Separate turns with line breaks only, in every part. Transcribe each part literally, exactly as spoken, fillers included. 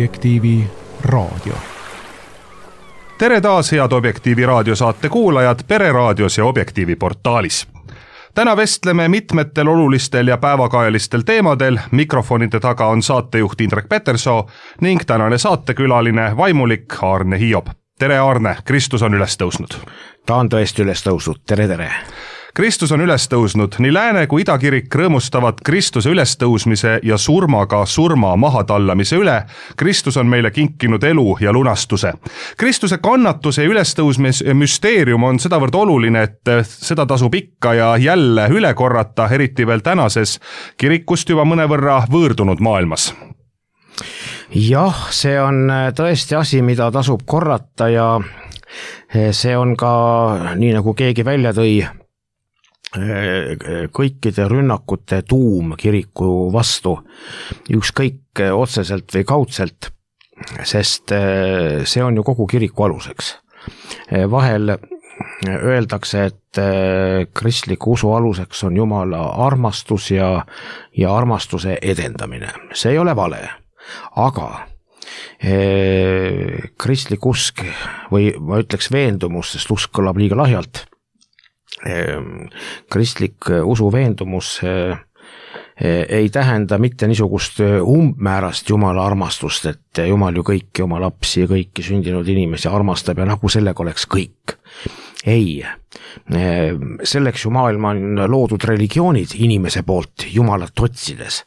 Objektiivi raadio.
Tere taas head Objektiivi raadiosaate kuulajad Pereraadios ja Objektiivi portaalis. Täna vestleme mitmetel olulistel ja päevakajalistel teemadel. Mikrofonide taga on saatejuht Indrek Petersoo ning tänane saatekülaline vaimulik Aarne Hiob. Tere Aarne, Kristus on üles tõusnud.
Ta on tõesti üles tõusnud, tere tere.
Kristus on üles tõusnud, nii Lääne kui Idakirik rõõmustavad Kristuse ülestõusmise ja surmaga surma mahatallamise üle. Kristus on meile kinkinud elu ja lunastuse. Kristuse kannatuse ja ülestõusmise müsteerium on sedavõrd oluline, et seda tasub ikka ja jälle üle korrata, eriti veel tänases kirikust juba mõnevõrra võõrdunud maailmas.
Jah, see on tõesti asi, mida tasub korrata ja see on ka, nii nagu keegi välja tõi, kõikide rünnakute tuum kiriku vastu, ükskõik otseselt või kaudselt, sest see on ju kogu kiriku aluseks. Vahel öeldakse, et kristliku usu aluseks on Jumala armastus ja, ja armastuse edendamine. See ei ole vale, aga kristlik usk või ma ütleks veendumus, sest usk kõlab liiga lahjalt, kristlik usu veendumus ei tähenda mitte niisugust umbmäärast Jumala armastust, et Jumal ju kõiki oma lapsi ja kõiki sündinud inimesi armastab ja nagu sellega oleks kõik. Ei, selleks ju maailma on loodud religioonid inimese poolt Jumalat otsides,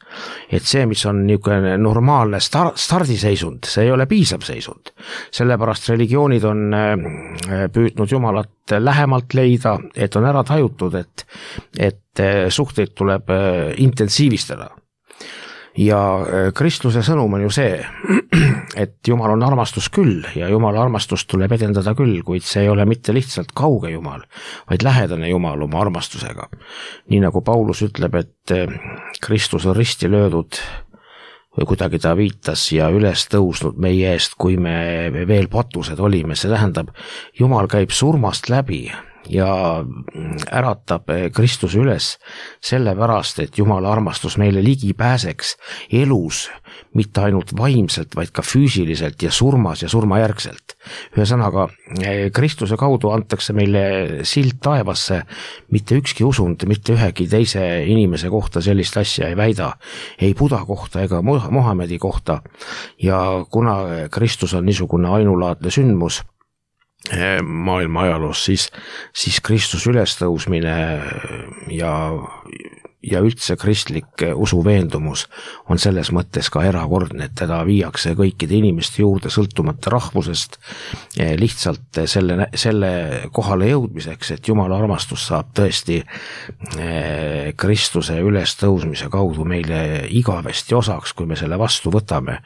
et see, mis on niisugune normaalne star- stardiseisund, see ei ole piisav seisund. Sellepärast religioonid on püüdnud Jumalat lähemalt leida, et on ära tajutud, et, et suhteid tuleb intensiivistada. Ja Kristuse sõnum on ju see, et Jumal on armastus küll ja Jumala armastust tuleb edendada küll, kuid see ei ole mitte lihtsalt kauge Jumal, vaid lähedane Jumal oma armastusega. Nii nagu Paulus ütleb, et Kristus on risti löödud või kuidagi ta viitas ja üles tõusnud meie eest, kui me veel patused olime. See tähendab, Jumal käib surmast läbi ja äratab Kristuse üles sellepärast, et Jumala armastus meile ligi pääseks elus, mitte ainult vaimselt, vaid ka füüsiliselt ja surmas ja surmajärgselt. Ühesõnaga, Kristuse kaudu antakse meile sild taevasse, mitte ükski usund, mitte ühegi teise inimese kohta sellist asja ei väida, ei Buda kohta ega Mohamedi kohta. Ja kuna Kristus on niisugune ainulaadne sündmus maailma ajaloos, siis, siis Kristus ülestõusmine ja, ja üldse kristlik usuveendumus on selles mõttes ka erakordne, et teda viiakse kõikide inimeste juurde sõltumata rahvusest lihtsalt selle, selle kohale jõudmiseks, et Jumala armastus saab tõesti Kristuse ülestõusmise kaudu meile igavesti osaks, kui me selle vastu võtame.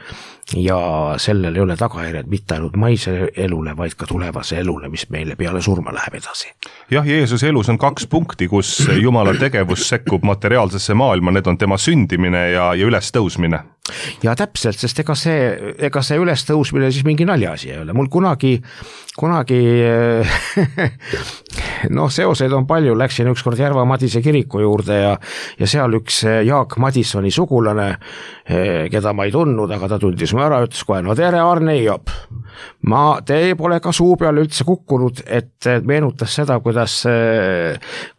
Ja sellel ei ole tagajärjed mitte ainult maise elule, vaid ka tulevase elule, mis meile peale surma läheb edasi.
Jah, Jeesuse elus on kaks punkti, kus Jumala tegevus sekkub materiaalsesse maailma, need on tema sündimine ja, ja ülestõusmine.
Ja täpselt, sest ega see, ega see ülestõusmine siis mingi naljaasi ei ole. Mul kunagi, kunagi noh, seoseid on palju, läksin ükskord Järva Madise kiriku juurde ja, ja seal üks Jaak Madissoni sugulane, keda ma ei tundnud, aga ta tundis mu ära, ütles kohe, no tere Aarne Hiob. Ma, te pole ka suu peale üldse kukkunud, et meenutas seda, kuidas,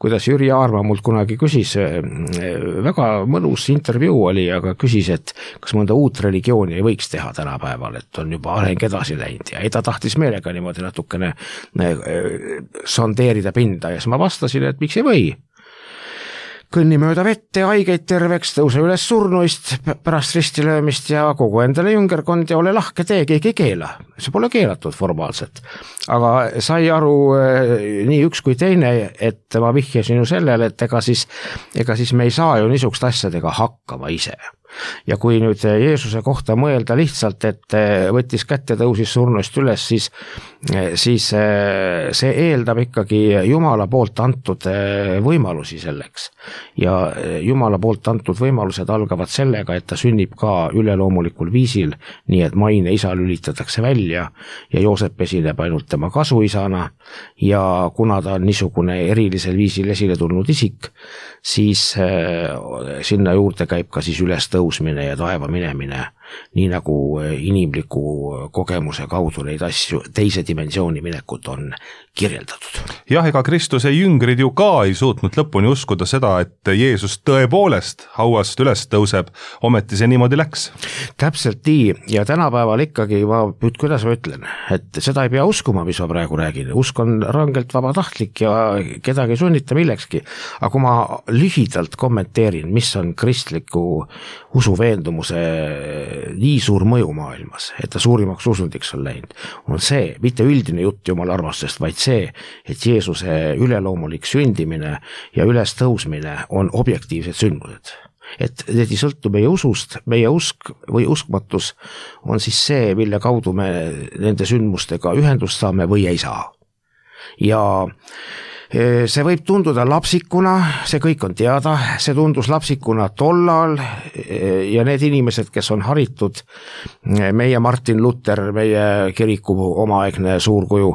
kuidas Jüri Aarma mult kunagi küsis, väga mõnus intervjuu oli, aga küsis, et kas mõnda uut religiooni ei võiks teha tänapäeval, et on juba areng edasi läinud ja ei ta tahtis meelega niimoodi natukene sondeerida pinda ja siis ma vastasin, et miks ei või. Kõnni mööda vette, haigeid terveks, tõuse üles surnuist, pärast ristilöömist ja kogu endale jüngerkond ja ole lahke tee, keegi ei keela. See pole keelatud formaalselt. Aga sai aru nii üks kui teine, et ma vihjasin ju sellele, et ega siis, ega siis me ei saa ju niisugust asjadega hakkama ise. Ja kui nüüd Jeesuse kohta mõelda lihtsalt, et võttis kätte, tõusis surnuist üles, siis, siis see eeldab ikkagi Jumala poolt antud võimalusi selleks. Ja Jumala poolt antud võimalused algavad sellega, et ta sünnib ka üleloomulikul viisil, nii et maine isa lülitatakse välja ja Joosep esineb ainult tema kasuisana ja kuna ta on niisugune erilisel viisil esile tulnud isik, siis sinna juurde käib ka siis ülestõusmine ja taeva minemine nii nagu inimliku kogemuse kaudu neid asju, teise dimensiooni minekut on kirjeldatud.
Jah, ega Kristuse jüngrid ju ka ei suutnud lõpuni uskuda seda, et Jeesus tõepoolest hauast üles tõuseb, ometi see niimoodi läks.
Täpselt nii, ja tänapäeval ikkagi, ma, kuidas ma ütlen, et seda ei pea uskuma, mis ma praegu räägin, usk on rangelt vabatahtlik ja kedagi ei sunnita millekski, aga kui ma lühidalt kommenteerin, mis on kristliku usuveendumuse nii suur mõju maailmas, et ta suurimaks usundiks on läinud, on see, mitte üldine jutt Jumala armastusest, vaid see, et Jeesuse üleloomulik sündimine ja ülestõusmine on objektiivsed sündmused. Et need ei sõltu meie usust, meie usk või uskmatus on siis see, mille kaudu me nende sündmustega ühendust saame või ei saa. Ja see võib tunduda lapsikuna, see kõik on teada, see tundus lapsikuna tollal ja need inimesed, kes on haritud, meie Martin Luther, meie kiriku omaaegne suurkuju,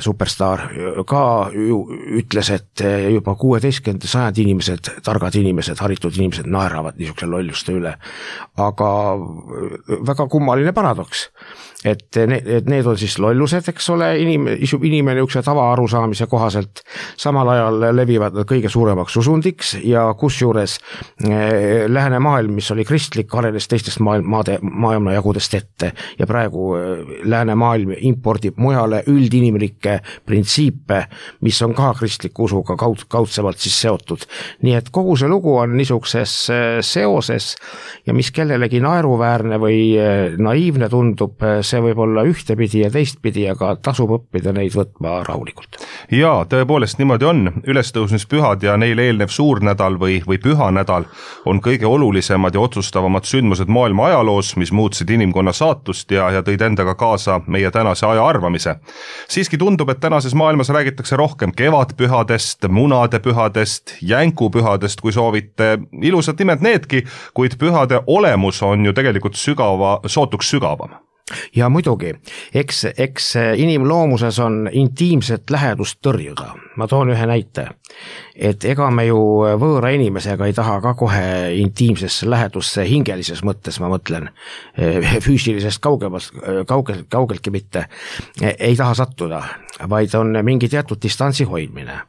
superstaar, ka ju ütles, et juba kuueteistkümnenda sajandi inimesed, targad inimesed, haritud inimesed naeravad niisuguse lolluste üle. Aga väga kummaline paradoks, et need, et need on siis lollused, eks ole, inimene, inimene üks tava arusaamise kohaselt, samal ajal levivad nad kõige suuremaks usundiks ja kusjuures eh, lääne maailm, mis oli kristlik, arenes teistest maailm, maade, maailma jagudest ette ja praegu eh, lääne maailm impordib mujale üldinimlikke printsiipe, mis on ka kristliku usuga kaud, kaudsemalt siis seotud. Nii et kogu see lugu on niisuguses seoses ja mis kellelegi naeruväärne või naiivne tundub, see võib olla ühtepidi ja teistpidi, aga tasub õppida neid võtma rahulikult.
Jaa, tõepoolest niimoodi on. Ülestõusmispühad ja neile eelnev suurnädal või, või pühanädal on kõige olulisemad ja otsustavamad sündmused maailma ajaloos, mis muutsid inimkonna saatust ja, ja tõid endaga kaasa meie tänase aja arvamise. Siiski tundub, et tänases maailmas räägitakse rohkem kevadpühadest, munadepühadest, jänkupühadest, kui soovite. Ilusad nimed needki, kuid pühade olemus on ju tegelikult sügava, sootuks sügavam.
Ja muidugi, eks, eks inimloomuses on intiimset lähedust tõrjuda. Ma toon ühe näite, et ega me ju võõra inimesega ei taha ka kohe intiimsesse lähedusse hingelises mõttes, ma mõtlen, füüsilisest kaugemast, kaugel, kaugeltki mitte, ei taha sattuda, vaid on mingi teatud distantsi hoidmine.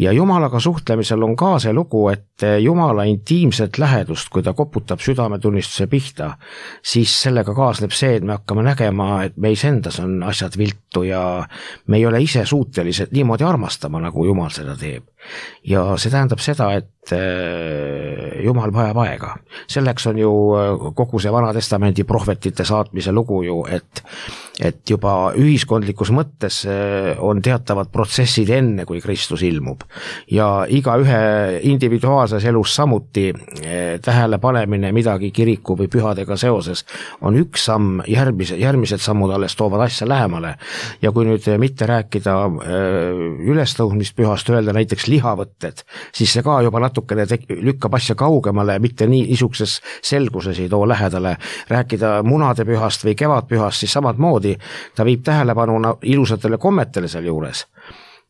Ja Jumalaga suhtlemisel on ka see lugu, et Jumala intiimset lähedust, kui ta koputab südametunnistuse pihta, siis sellega kaasneb see, et me hakkame nägema, et meis endas on asjad viltu ja me ei ole ise suutelised niimoodi armastama, nagu Jumal seda teeb. Ja see tähendab seda, et Jumal vajab aega. Selleks on ju kogu see Vana Testamendi prohvetite saatmise lugu ju, et, et juba ühiskondlikus mõttes on teatavad protsessid enne, kui Kristus ilmub. Ja iga ühe individuaalses elus samuti tähele panemine midagi kiriku või pühadega seoses on üks samm, järgmised, järgmised sammud alles toovad asja lähemale. Ja kui nüüd mitte rääkida ülestõusmispühast, öelda näiteks lihavõtted, siis see ka juba natukene lükkab asja kaugemale, mitte nii niisuguses selguses ei too lähedale. Rääkida munadepühast või kevadpühast, siis samad moodi ta viib tähelepanu ilusatele kommetele seal juures.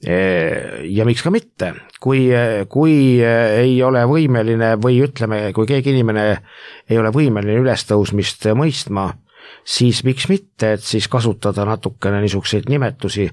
Ja miks ka mitte, kui, kui ei ole võimeline või ütleme, kui keegi inimene ei ole võimeline ülestõusmist mõistma, siis miks mitte, et siis kasutada natukene niisuguseid nimetusi,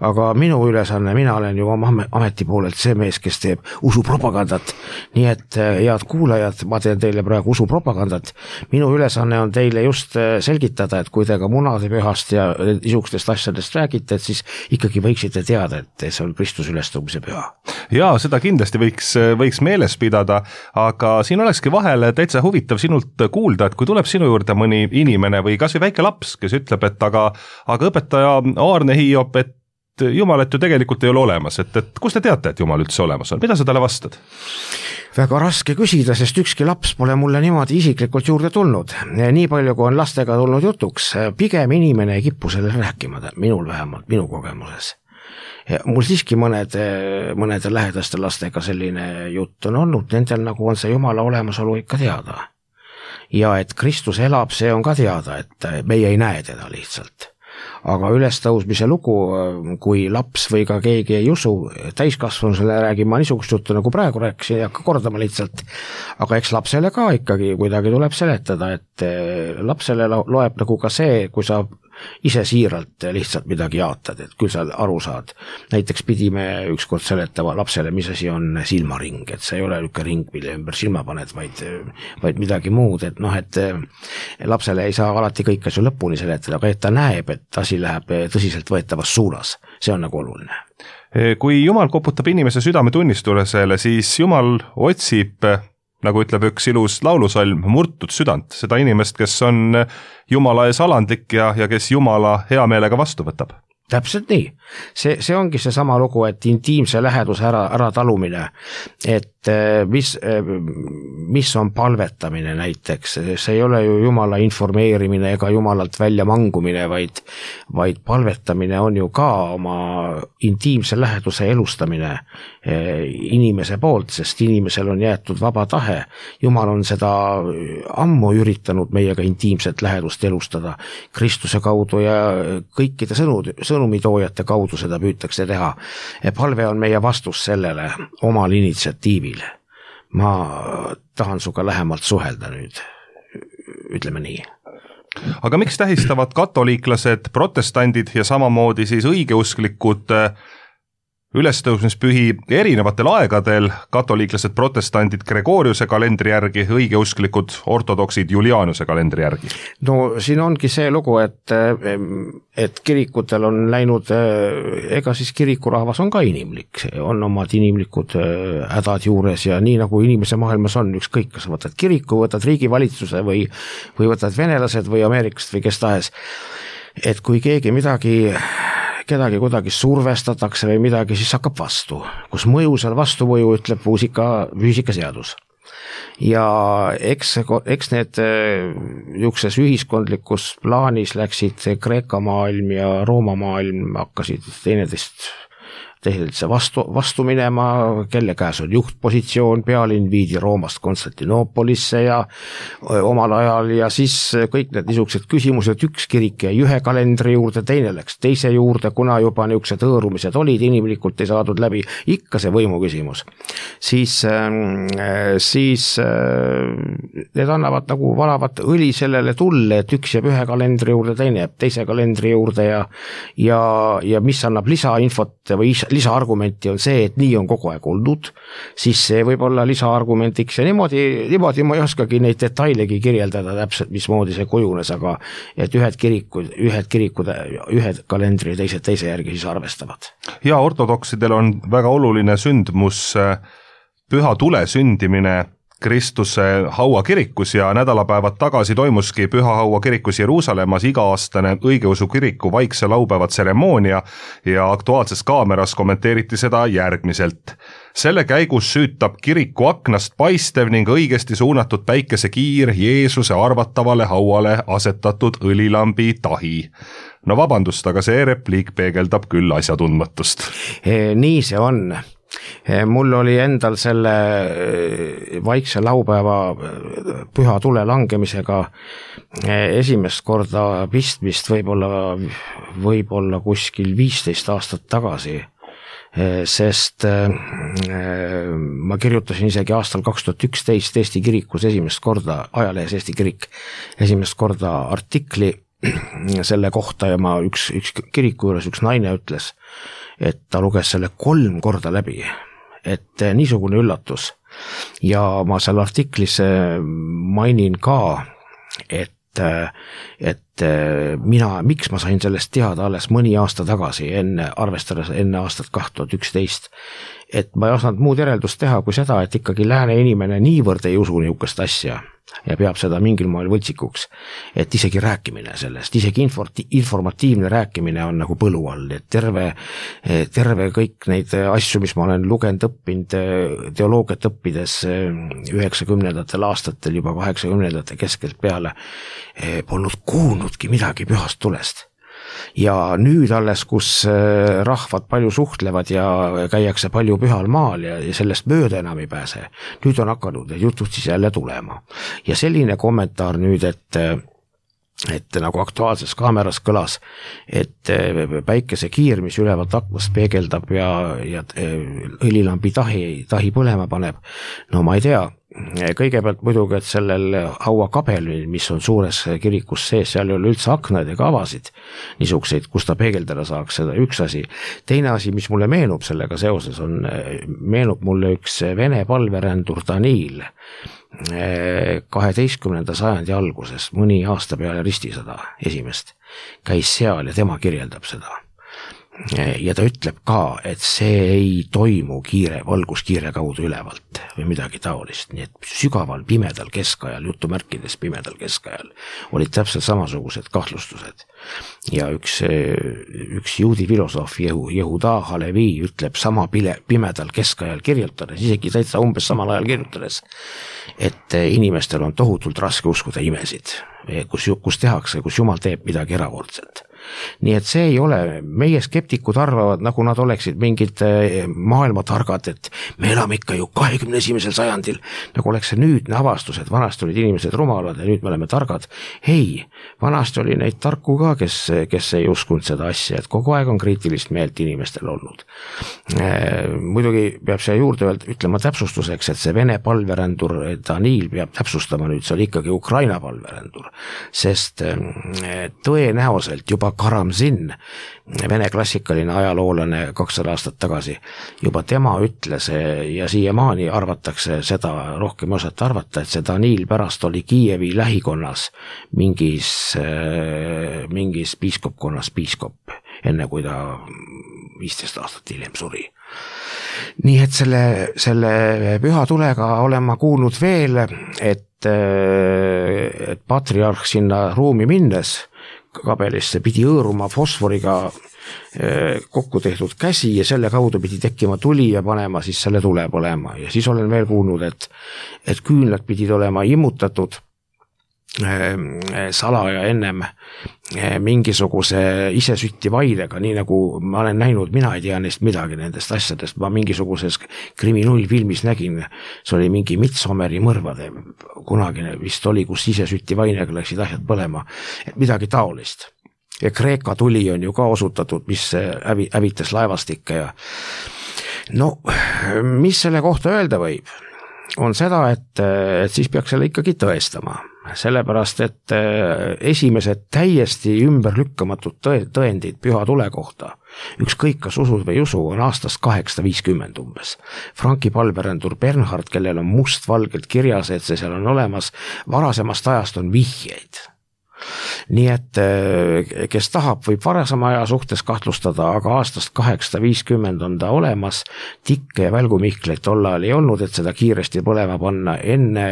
aga minu ülesanne, mina olen ju oma ameti poolelt see mees, kes teeb usupropagandat, nii et head kuulajad, ma teen teile praegu usupropagandat, minu ülesanne on teile just selgitada, et kui te ka munadepühast ja niisugustest asjadest räägite, et siis ikkagi võiksite teada, et see on Kristuse ülestõusmise püha.
Jaa, seda kindlasti võiks, võiks meeles pidada, aga siin olekski vahel täitsa huvitav sinult kuulda, et kui tuleb sinu juurde mõni inimene või kas või väike laps, kes ütleb, et aga, aga õpetaja Aarne Hiiop, et Jumalat ju tegelikult ei ole olemas, et, et kus te teate, et Jumal üldse olemas on, mida sa talle vastad?
Väga raske küsida, sest ükski laps pole mulle niimoodi isiklikult juurde tulnud. Nii palju, kui on lastega tulnud jutuks, pigem inimene ei kipu selle rääkima, minul vähemalt, minu kogemuses. Mul siiski mõned, mõnede lähedaste lastega selline jutt on olnud, nendel nagu on see Jumala olemasolu ikka teada. Ja et Kristus elab, see on ka teada, et meie ei näe teda lihtsalt. aga ülestõusmise lugu, kui laps või ka keegi ei usu, täiskasvanusele räägin ma niisugust juttu, nagu praegu rääkisin, ei hakka kordama lihtsalt, aga eks lapsele ka ikkagi kuidagi tuleb seletada, et lapsele loeb nagu ka see, kui sa ise siiralt lihtsalt midagi jaatad, et küll sa aru saad. Näiteks pidime ükskord seletama lapsele, mis asi on silmaring, et see ei ole niisugune ring, mille ümber silma paned, vaid, vaid midagi muud, et noh, et lapsele ei saa alati kõik asju lõpuni seletada, aga et ta näeb, et asi läheb tõsiselt võetavas suunas, see on nagu oluline.
Kui Jumal koputab inimese südametunnistusele, siis Jumal otsib, nagu ütleb üks ilus laulusalm, murtud südant, seda inimest, kes on Jumala ees alandlik ja, ja kes Jumala hea meelega vastu võtab.
Täpselt nii. See, see ongi see sama lugu, et intiimse läheduse ära, ära talumine, et mis, mis on palvetamine näiteks, see ei ole ju Jumala informeerimine ega Jumalalt välja mangumine, vaid, vaid palvetamine on ju ka oma intiimse läheduse elustamine inimese poolt, sest inimesel on jäetud vaba tahe. Jumal on seda ammu üritanud meiega intiimset lähedust elustada Kristuse kaudu ja kõikide sõnud, sõnumitoojate kaudu seda püütakse teha. Palve on meie vastus sellele omal initsiatiivil. Ma tahan suga lähemalt suhelda nüüd, ütleme nii.
Aga miks tähistavad katoliiklased, protestandid ja samamoodi siis õigeusklikud ülestõusmispühi erinevatel aegadel, katoliiklased, protestandid Gregoriuse kalendri järgi, õigeusklikud, ortodoksid Julianuse kalendri järgi?
No siin ongi see lugu, et, et kirikutel on läinud, ega siis kirikurahvas on ka inimlik, on omad inimlikud hädad juures ja nii nagu inimese maailmas on, ükskõik, kas võtad kiriku, võtad riigivalitsuse või, või võtad venelased või Ameerikast või kes tahes, et kui keegi midagi kedagi kuidagi survestatakse või midagi, siis hakkab vastu, kus mõjusal vastuvõju ütleb füüsika, füüsikaseadus. Ja eks, eks need niisuguses ühiskondlikus plaanis läksid Kreeka maailm ja Rooma maailm hakkasid teineteist tehnilise vastu, vastu minema, kelle käes on juhtpositsioon, pealinn viidi Roomast Konstantinoopolisse ja omal ajal ja siis kõik need niisugused küsimused, üks kirik jäi ühe kalendri juurde, teine läks teise juurde, kuna juba niisugused hõõrumised olid, inimlikult ei saadud läbi, ikka see võimu küsimus. Siis, siis need annavad nagu valavat õli sellele tulle, et üks jääb ühe kalendri juurde, teine jääb teise kalendri juurde ja, ja, ja mis annab lisainfot või lisaargumenti on see, et nii on kogu aeg olnud, siis see võib olla lisaargumentiks ja niimoodi, niimoodi ma ei oskagi neid detailegi kirjeldada täpselt, mismoodi see kujunes, aga et ühed kirikud, ühed kirikud, ühed kalendri ja teised teise järgi siis arvestavad. Ja
ortodoksidel on väga oluline sündmus püha tule sündimine Kristuse hauakirikus ja nädalapäevad tagasi toimuski Püha Haua kirikus Jeruusalemmas iga-aastane õigeusu kiriku vaikse laupäeva tseremoonia ja Aktuaalses kaameras kommenteeriti seda järgmiselt. Selle käigus süütab kiriku aknast paistev ning õigesti suunatud päikesekiir Jeesuse arvatavale hauale asetatud õlilambi tahi. No vabandust, aga see repliik peegeldab küll asjatundmatust.
Nii see on. Mul oli endal selle vaikse laupäeva püha tule langemisega esimest korda pistmist võib-olla, võib-olla kuskil viisteist aastat tagasi, sest ma kirjutasin isegi aastal kaks tuhat üksteist Eesti kirikus esimest korda, ajalehes Eesti kirik, esimest korda artikli selle kohta ja ma üks, üks kiriku juures üks naine ütles, et ta luges selle kolm korda läbi, et niisugune üllatus. Ja ma seal artiklis mainin ka, et, et mina, miks ma sain sellest teada alles mõni aasta tagasi, enne, arvestades enne aastat kaks tuhat üksteist, et ma ei osanud muud järeldust teha kui seda, et ikkagi lääne inimene niivõrd ei usu niisugust asja ja peab seda mingil moel võltsikuks, et isegi rääkimine sellest, isegi informatiivne rääkimine on nagu põlu all, et terve, terve kõik neid asju, mis ma olen lugenud, õppinud, teoloogiat õppides üheksakümnendatel aastatel, juba kaheksakümnendate keskelt peale, polnud kuulnudki midagi pühast tulest. Ja nüüd alles, kus rahvad palju suhtlevad ja käiakse palju pühal maal ja sellest mööda enam ei pääse, nüüd on hakanud need jutud siis jälle tulema. Ja selline kommentaar nüüd, et et nagu Aktuaalses Kaameras kõlas, et päikesekiir, mis ülevalt aknast peegeldab ja, ja õlilambi tahi, tahi põlema paneb, no ma ei tea, kõigepealt muidugi, et sellel hauakabelil, mis on suures kirikus sees, seal ei ole üldse aknaid ega avasid niisuguseid, kus ta peegeldada saaks, seda üks asi. Teine asi, mis mulle meenub sellega seoses, on, meenub mulle üks Vene palverändur Danil kaheteistkümnenda sajandi alguses, mõni aasta peale ristisõda esimest, käis seal ja tema kirjeldab seda. Ja ta ütleb ka, et see ei toimu kiire, valguskiire kaudu ülevalt või midagi taolist, nii et sügaval pimedal keskajal, jutumärkides pimedal keskajal, olid täpselt samasugused kahtlustused. Ja üks, üks juudi filosoof Jehuda Halevi ütleb sama pile, pimedal keskajal kirjutades, isegi täitsa umbes samal ajal kirjutades, et inimestel on tohutult raske uskuda imesid, kus, kus tehakse, kus Jumal teeb midagi erakordselt. Nii et see ei ole, meie skeptikud arvavad, nagu nad oleksid mingid maailmatargad, et me elame ikka ju kahekümne esimesel sajandil, nagu oleks see nüüdne avastus, et vanasti olid inimesed rumalad ja nüüd me oleme targad. Ei, vanasti oli neid tarku ka, kes, kes ei uskunud seda asja, et kogu aeg on kriitilist meelt inimestel olnud. Muidugi peab see juurde öelda, ütlema täpsustuseks, et see Vene palverändur Danil peab täpsustama nüüd, see oli ikkagi Ukraina palverändur, sest tõenäoliselt juba Karamzin, Vene klassikaline ajaloolane kakssada aastat tagasi, juba tema ütles ja siiamaani arvatakse seda, rohkem osata arvata, et see Danil pärast oli Kiievi lähikonnas mingis, mingis piiskopkonnas piiskop, enne kui ta viisteist aastat hiljem suri. Nii et selle, selle püha tulega olen ma kuulnud veel, et, et patriarh sinna ruumi minnes kabelisse pidi hõõruma fosforiga kokku tehtud käsi ja selle kaudu pidi tekkima tuli ja panema siis selle tule põlema. Ja siis olen veel kuulnud, et, et küünlad pidid olema immutatud salaja ennem mingisuguse isesütti vaidega, nii nagu ma olen näinud, mina ei tea neist midagi nendest asjadest, ma mingisuguses kriminullfilmis nägin, see oli mingi Midsommeri mõrvade, kunagine vist oli, kus isesütti vainega läksid asjad põlema, et midagi taolist. Ja Kreeka tuli on ju ka osutatud, mis hävi, hävitas laevastikke ja no, mis selle kohta öelda võib? On seda, et, et siis peaks selle ikkagi tõestama. Sellepärast, et esimesed täiesti ümberlükkamatud tõendid püha tule kohta, ükskõik kas usud või usu, on aastast kaheksasada viiskümmend umbes. Franki palverändur Bernhard, kellel on mustvalgelt kirjas, et see seal on olemas, varasemast ajast on vihjeid. Nii et kes tahab, võib varasema aja suhtes kahtlustada, aga aastast kaheksasada viiskümmend on ta olemas, tikke ja välgumihkleid tollal ei olnud, et seda kiiresti põlema panna. Enne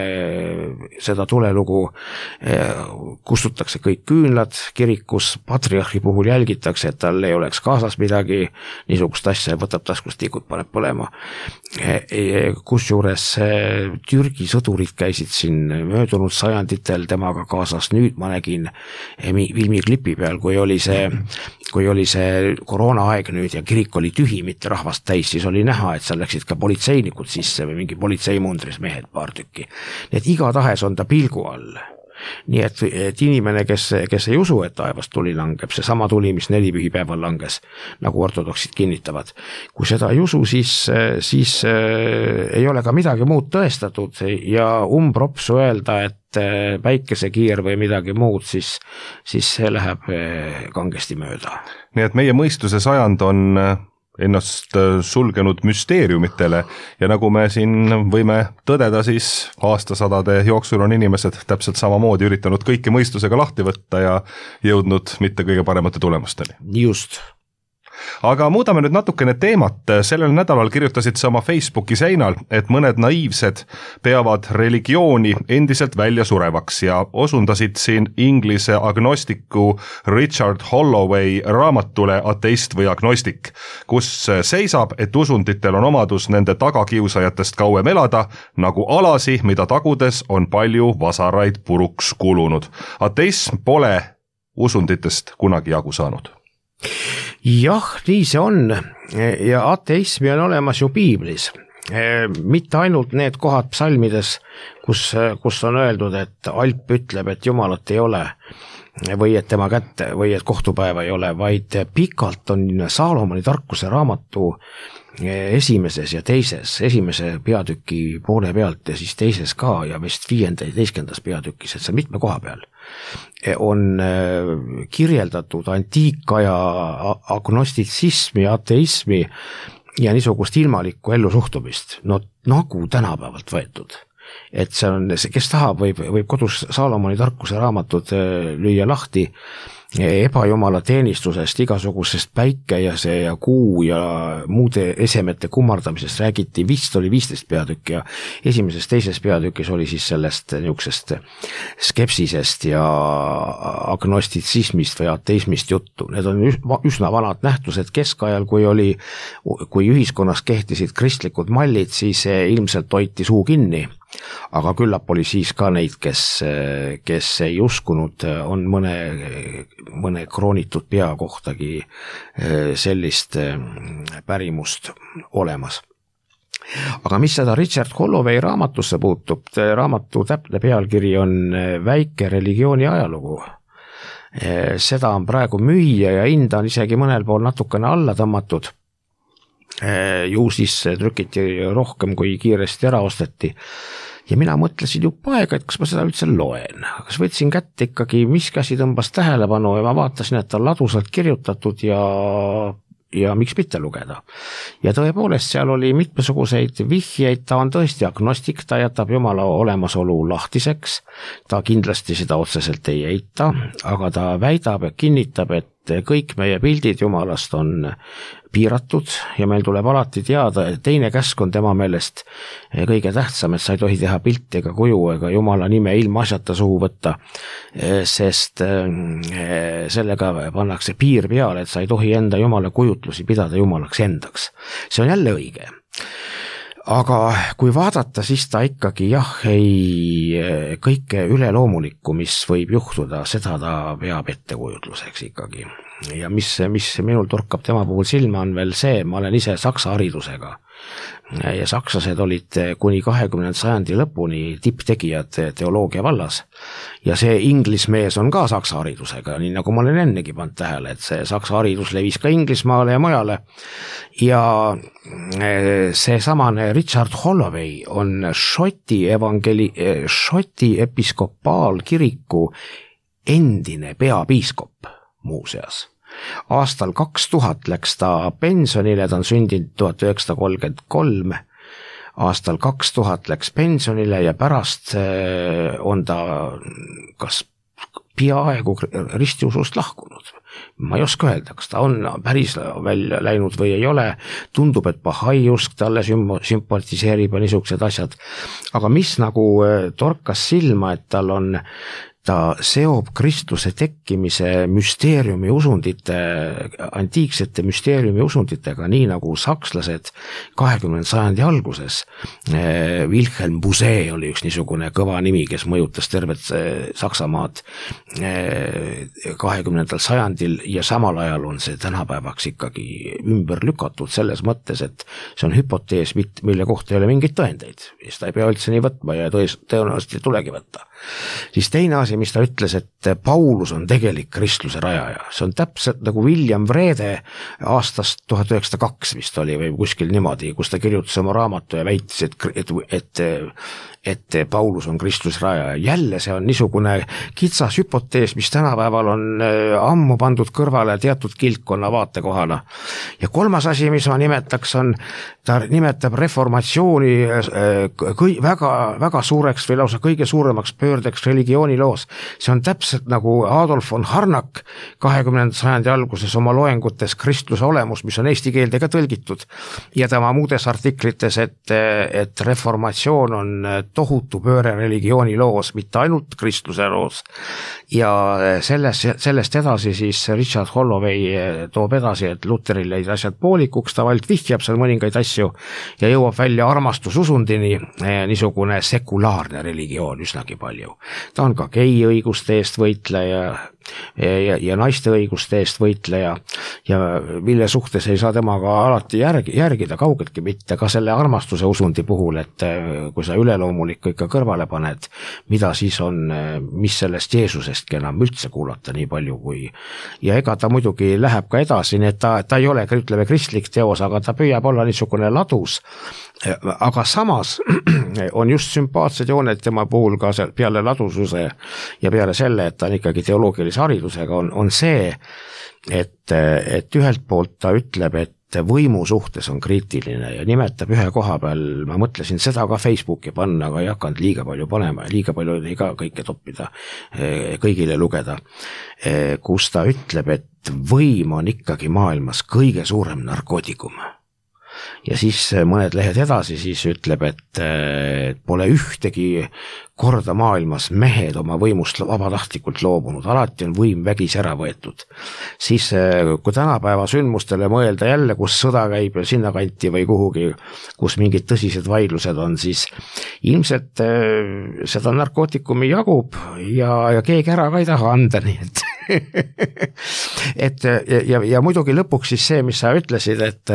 seda tulelugu kustutakse kõik küünlad kirikus, patriarhi puhul jälgitakse, et tal ei oleks kaasas midagi, niisugust asja võtab taskust tikut, paneb põlema. Kusjuures Türgi sõdurid käisid siin möödunud sajanditel temaga kaasas, nüüd ma nägin filmiklipi peal, kui oli see, kui oli see koroonaaeg nüüd ja kirik oli tühi, mitte rahvast täis, siis oli näha, et seal läksid ka politseinikud sisse või mingi politseimundris mehed paar tükki. Nii et iga tahes on ta pilgu all. Nii et, et inimene, kes, kes ei usu, et taevast tuli langeb, see sama tuli, mis nelipühipäeval langes, nagu ortodoksid kinnitavad. Kui seda ei usu, siis, siis äh, ei ole ka midagi muud tõestatud ja umbropsu öelda, et äh, päikesekiir või midagi muud, siis, siis see läheb äh, kangesti mööda.
Nii et meie mõistuse sajand on ennast sulgenud müsteeriumitele ja nagu me siin võime tõdeda, siis aastasadade jooksul on inimesed täpselt samamoodi üritanud kõike mõistusega lahti võtta ja jõudnud mitte kõige paremate tulemusteni.
Just.
Aga muudame nüüd natukene teemat. Sellel nädalal kirjutasid sa oma Facebooki seinal, et mõned naiivsed peavad religiooni endiselt välja surevaks ja osundasid siin inglise agnostiku Richard Holloway raamatule Ateist või agnostik, kus seisab, et usunditel on omadus nende tagakiusajatest kauem elada, nagu alasi, mida tagudes on palju vasaraid puruks kulunud. Ateism pole usunditest kunagi jagu saanud.
Jah, nii see on ja ateismi on olemas ju piiblis. mitte ainult need kohad psalmides, kus, kus on öeldud, et alp ütleb, et jumalat ei ole või et tema kätte või et kohtupäeva ei ole, vaid pikalt on Saalomoni tarkuse raamatu esimeses ja teises, esimese peatüki poole pealt ja siis teises ka ja vist viienda ja teiskendas peatükis, et see mitme koha peal on kirjeldatud antiikaja agnostitsismi, ateismi ja niisugust ilmalikku ellusuhtumist, no nagu tänapäevalt võetud. Et see on, kes tahab, võib, võib kodus Saalomoni tarkuse raamatud lüüa lahti ebajumala teenistusest, igasugusest päikese ja kuu ja muude esemete kummardamisest räägiti, vist oli viisteist peatükki ja esimeses teises peatükis oli siis sellest niisugusest skepsisest ja agnostitsismist või ateismist juttu. Need on üsna vanad nähtused keskajal, kui oli, kui ühiskonnas kehtisid kristlikud mallid, siis ilmselt hoiti suu kinni. Aga küllap oli siis ka neid, kes, kes ei uskunud, on mõne, mõne kroonitud pea kohtagi sellist pärimust olemas. Aga mis seda Richard Holloway raamatusse puutub, raamatu täpne pealkiri on Väike religiooni ajalugu. Seda on praegu müüa ja hinda on isegi mõnel pool natukene alla tõmmatud. Ju siis trükiti rohkem kui kiiresti ära osteti ja mina mõtlesin juba aega, et kas ma seda üldse loen, kas võtsin kätte ikkagi, mis käsi tõmbas tähelepanu ja ma vaatasin, et on ladusalt kirjutatud ja ja miks mitte lugeda. Ja tõepoolest seal oli mitmesuguseid vihjeid, ta on tõesti agnostik, ta jätab Jumala olemasolu lahtiseks, ta kindlasti seda otseselt ei eita, aga ta väidab ja kinnitab, et kõik meie pildid Jumalast on piiratud ja meil tuleb alati teada, et teine käsk on tema meelest kõige tähtsam, et sa ei tohi teha pilti ega kuju ega Jumala nime ilmaasjata suhu võtta, sest sellega pannakse piir peale, et sa ei tohi enda Jumala kujutlusi pidada Jumalaks endaks. See on jälle õige. Aga kui vaadata, siis ta ikkagi jah, ei kõike üleloomulikku, mis võib juhtuda, seda ta peab ettekujutluseks ikkagi. Ja mis, mis minul torkab tema puhul silma on veel see, ma olen ise saksa haridusega ja sakslased olid kuni kahekümnenda sajandi lõpuni tipptegijad teoloogia vallas ja see inglismees on ka saksa haridusega, nii nagu ma olen ennegi pannud tähele, et see saksa haridus levis ka Inglismaale ja mujale ja see samane Richard Holloway on Šoti evangeli, Šoti episkopaalkiriku endine peapiiskop muuseas. Aastal kaks tuhat läks ta pensionile, ta on sündinud tuhat üheksasada kolmkümmend kolm, aastal kaks tuhat läks pensionile ja pärast on ta kas peaaegu ristiusust lahkunud. Ma ei oska öelda, kas ta on päris välja läinud või ei ole, tundub, et Bahai-usk talle sümpatiseerib ja niisugused asjad, aga mis nagu torkas silma, et tal on ta seob kristluse tekkimise müsteeriumi usundite, antiiksete müsteeriumi usunditega, nii nagu sakslased kahekümnenda sajandi alguses. Wilhelm Busse oli üks niisugune kõva nimi, kes mõjutas tervet Saksamaad kahekümnendal sajandil ja samal ajal on see tänapäevaks ikkagi ümber lükatud selles mõttes, et see on hüpotees, mille kohta ei ole mingeid tõendeid. Seda ei pea üldse nii võtma ja tõenäoliselt ei tulegi võtta. Siis teine asi, mis ta ütles, et Paulus on tegelik kristluse rajaja. See on täpselt nagu William Wrede aastast tuhat üheksasada kaks vist oli või kuskil niimoodi, kus ta kirjutas oma raamatu ja väitis, et, et, et, et Paulus on kristluse rajaja. Jälle see on niisugune kitsas hüpotees, mis tänapäeval on ammu pandud kõrvale teatud kiltkonna vaatekohana. Ja kolmas asi, mis ma nimetaks, on, ta nimetab reformatsiooni kõi, väga, väga suureks või lausa kõige suuremaks pöördeks religiooniloos. See on täpselt nagu Adolf von Harnack kahekümnenda sajandi alguses oma loengutes kristluse olemus, mis on eesti keelde ka tõlgitud ja tema muudes artiklites, et, et reformatsioon on tohutu pööre religiooniloos, mitte ainult kristluse loos. Ja selles, sellest edasi siis Richard Holloway toob edasi, et Luteril jäid asjad poolikuks, ta vald vihjab seal mõningaid asju ja jõuab välja armastususundini, niisugune sekulaarne religioon üsnagi palju. Ta on ka gei õiguste eest võitleja ja, ja naiste õiguste eest võitleja ja mille suhtes ei saa temaga alati järgi, järgida, kaugeltki mitte, ka selle armastuse usundi puhul, et kui sa üleloomulikku ikka kõrvale paned, mida siis on, mis sellest Jeesusestki enam üldse kuulata nii palju kui, ja ega ta muidugi läheb ka edasi, nii et ta, ta ei ole, ütleme, kristlik teos, aga ta püüab olla niisugune ladus, aga samas on just sümpaatsed jooned tema puhul ka peale ladususe ja peale selle, et ta on ikkagi teoloogilise haridusega, on, on see, et, et ühelt poolt ta ütleb, et võimu suhtes on kriitiline ja nimetab ühe koha peal, ma mõtlesin seda ka Facebooki panna, aga ei hakanud liiga palju panema ja liiga palju ei ka kõike toppida, kõigile lugeda, kus ta ütleb, et võim on ikkagi maailmas kõige suurem narkootikum. Ja siis mõned lehed edasi siis ütleb, et pole ühtegi korda maailmas mehed oma võimust vabatahtlikult loobunud, alati on võim vägis ära võetud. Siis kui tänapäeva sündmustele mõelda jälle, kus sõda käib sinna kanti või kuhugi, kus mingid tõsised vaidlused on, siis ilmselt seda narkootikumi jagub ja, ja keegi ära ka ei taha anda, nii et et ja, ja muidugi lõpuks siis see, mis sa ütlesid, et,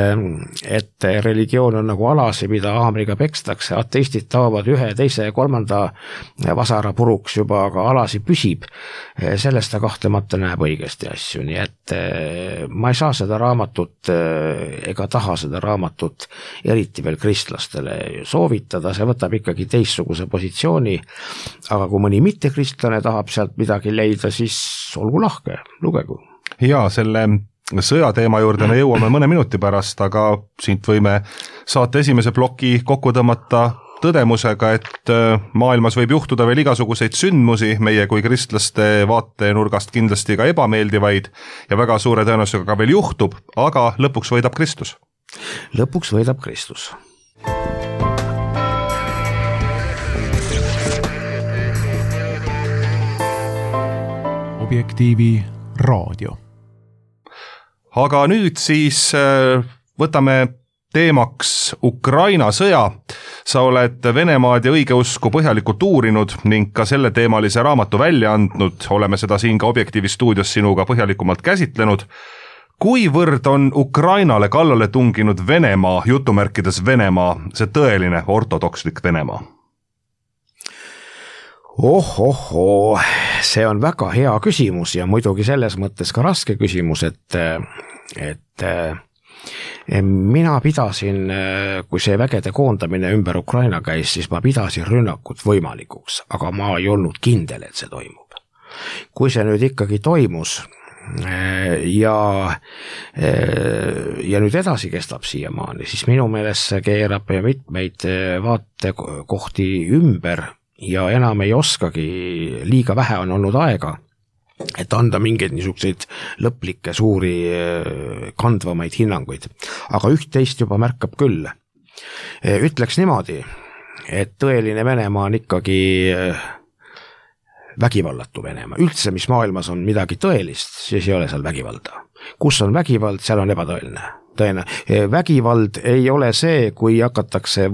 et religioon on nagu alasi, mida haamriga pekstakse, ateistid taovad ühe, teise ja kolmanda vasara puruks juba, aga alasi püsib, sellest ta kahtlemata näeb õigesti asju, nii et ma ei saa seda raamatut ega taha seda raamatut eriti veel kristlastele soovitada, see võtab ikkagi teistsuguse positsiooni, aga kui mõni mittekristlane tahab sealt midagi leida, siis olgu lahke, lugegu.
Ja selle sõjateema juurde me jõuame mõne minuti pärast, aga siit võime saate esimese ploki kokku tõmmata tõdemusega, et maailmas võib juhtuda veel igasuguseid sündmusi, meie kui kristlaste vaatenurgast kindlasti ka ebameeldivaid ja väga suure tõenäosusega ka veel juhtub, aga lõpuks võidab Kristus.
Lõpuks võidab Kristus.
Objektiivi raadio.
Aga nüüd siis võtame teemaks Ukraina sõja. Sa oled Venemaad ja õigeusku põhjalikult uurinud ning ka selle teemalise raamatu välja andnud. Oleme seda siin ka Objektiivi stuudios sinuga põhjalikumalt käsitlenud. Kuivõrd on Ukrainale kallale tunginud Venemaa, jutumärkides Venemaa, see tõeline ortodokslik Venemaa?
Oh, oh, oh, see on väga hea küsimus ja muidugi selles mõttes ka raske küsimus, et, et mina pidasin, kui see vägede koondamine ümber Ukraina käis, siis ma pidasin rünnakut võimalikuks, aga ma ei olnud kindel, et see toimub. Kui see nüüd ikkagi toimus ja, ja nüüd edasi kestab siiamaani, siis minu meelest see keerab mitmeid vaatekohti ümber ja enam ei oskagi, liiga vähe on olnud aega, et anda mingeid niisuguseid lõplikke suuri kandvamaid hinnanguid. Aga üht-teist juba märkab küll. Ütleks niimoodi, et tõeline Venemaa on ikkagi vägivallatu Venemaa. Üldse, mis maailmas on midagi tõelist, siis ei ole seal vägivalda. Kus on vägivald, seal on ebatõeline. Tõena. Vägivald ei ole see, kui hakatakse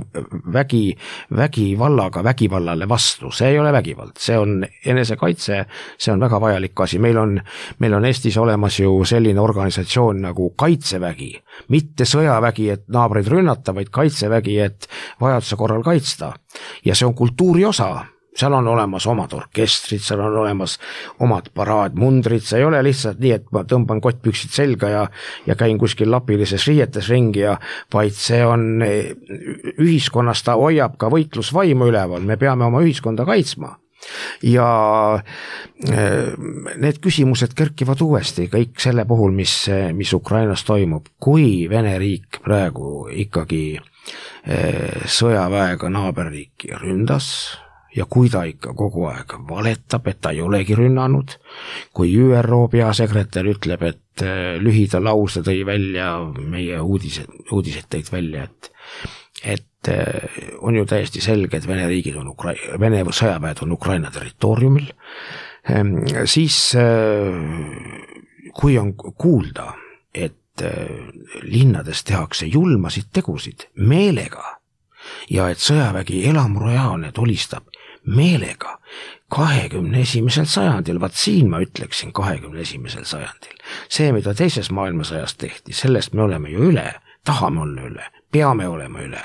vägi, vägivallaga vägivallale vastu. See ei ole vägivald, see on enesekaitse, see on väga vajalik asi. Meil on, meil on Eestis olemas ju selline organisatsioon nagu kaitsevägi, mitte sõjavägi, et naabreid rünnata, vaid kaitsevägi, et vajaduse korral kaitsta. Ja see on kultuuri osa. Seal on olemas omad orkestrid, seal on olemas omad paraadmundrid, see ei ole lihtsalt nii, et ma tõmban kottpüksid selga ja, ja käin kuskil lapilises riietes ringi, ja, vaid see on ühiskonnas, ta hoiab ka võitlusvaimu üleval, me peame oma ühiskonda kaitsma. Ja need küsimused kerkivad uuesti kõik selle puhul, mis, mis Ukrainas toimub, kui Vene riik praegu ikkagi sõjaväega naaberriiki ründas, ja kui ta ikka kogu aeg valetab, et ta ei olegi rünnanud, kui Ü R O peasekretär ütleb, et lühida lause tõi välja, meie uudised, uudised tõid välja, et, et on ju täiesti selge, et Vene riigid on Ukra- Vene sõjaväed on Ukraina territooriumil, siis kui on kuulda, et linnades tehakse julmasid tegusid meelega ja et sõjavägi elamurajaalne tulistab meelega, kahekümne esimesel sajandil, vaat siin ma ütleksin kahekümne esimesel sajandil. See, mida teises maailmasõjas tehti, sellest me oleme ju üle, tahame olla üle, peame olema üle.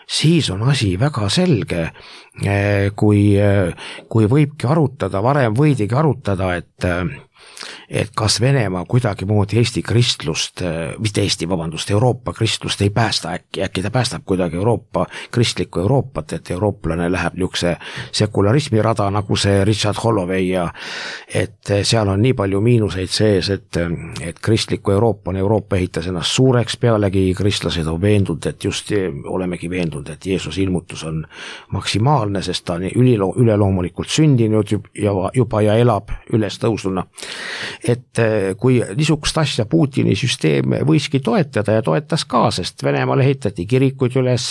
Siis on asi väga selge, kui, kui võibki arutada, varem võidigi arutada, et et kas Venemaa kuidagi moodi Eesti kristlust, mitte Eesti, vabandust, Euroopa kristlust ei päästa äkki, äkki ta päästab kuidagi Euroopa, kristlikku Euroopat, et eurooplane läheb niisuguse sekularismi rada, nagu see Richard Holloway ja et seal on nii palju miinuseid sees, et, et kristlikku Euroopa on Euroopa ehitas ennast suureks, pealegi kristlased on veendunud, et just olemegi veendunud, et Jeesus ilmutus on maksimaalne, sest ta on ülilo, üleloomulikult sündinud juba, juba ja elab üles tõusuna. Et kui niisugust asja Putini süsteem võiski toetada ja toetas ka, sest Venemaal ehitati kirikuid üles,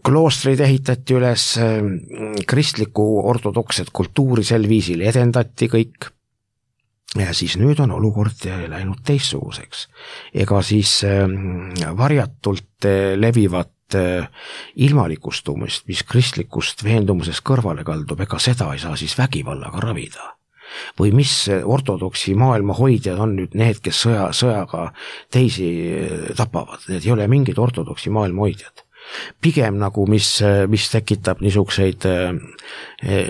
kloostreid ehitati üles, kristlikku ortodokset kultuuri sel viisil edendati kõik. Ja siis nüüd on olukord läinud teistsuguseks. Ega siis varjatult levivat ilmalikustumist, mis kristlikust veendumusest kõrvale kaldub, ega seda ei saa siis vägivallaga ravida. Või mis ortodoksi maailma hoidjad on nüüd need, kes sõja, sõjaga teisi tapavad, need ei ole mingid ortodoksi maailma hoidjad. Pigem nagu, mis, mis tekitab niisuguseid,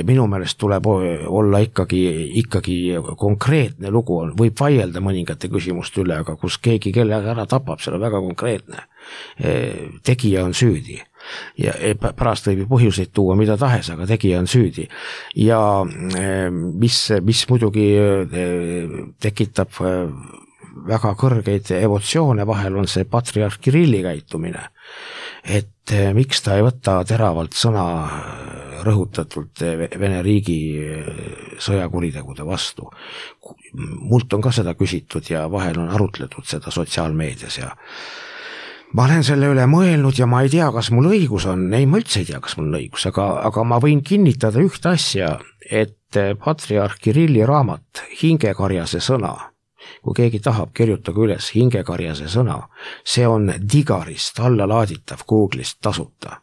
minu meelest tuleb olla ikkagi, ikkagi konkreetne lugu, on, võib vaielda mõningate küsimuste üle, aga kus keegi kelle ära tapab, see on väga konkreetne. Tegija on süüdi ja pärast võib põhjuseid tuua mida tahes, aga tegija on süüdi ja mis, mis muidugi tekitab väga kõrgeid emotsioone, vahel on see patriarh Kirilli käitumine, et miks ta ei võta teravalt sõna rõhutatult Vene riigi sõjakuritegude vastu. Mult on ka seda küsitud ja vahel on arutletud seda sotsiaalmeedias ja ma olen selle üle mõelnud ja ma ei tea, kas mul õigus on, ei, ma üldse ei tea, kas mul on õigus, aga, aga ma võin kinnitada ühte asja, et patriarh Kirilli raamat Hingekarjase sõna, kui keegi tahab, kirjutage üles Hingekarjase sõna, see on Digarist allalaaditav Google'ist tasuta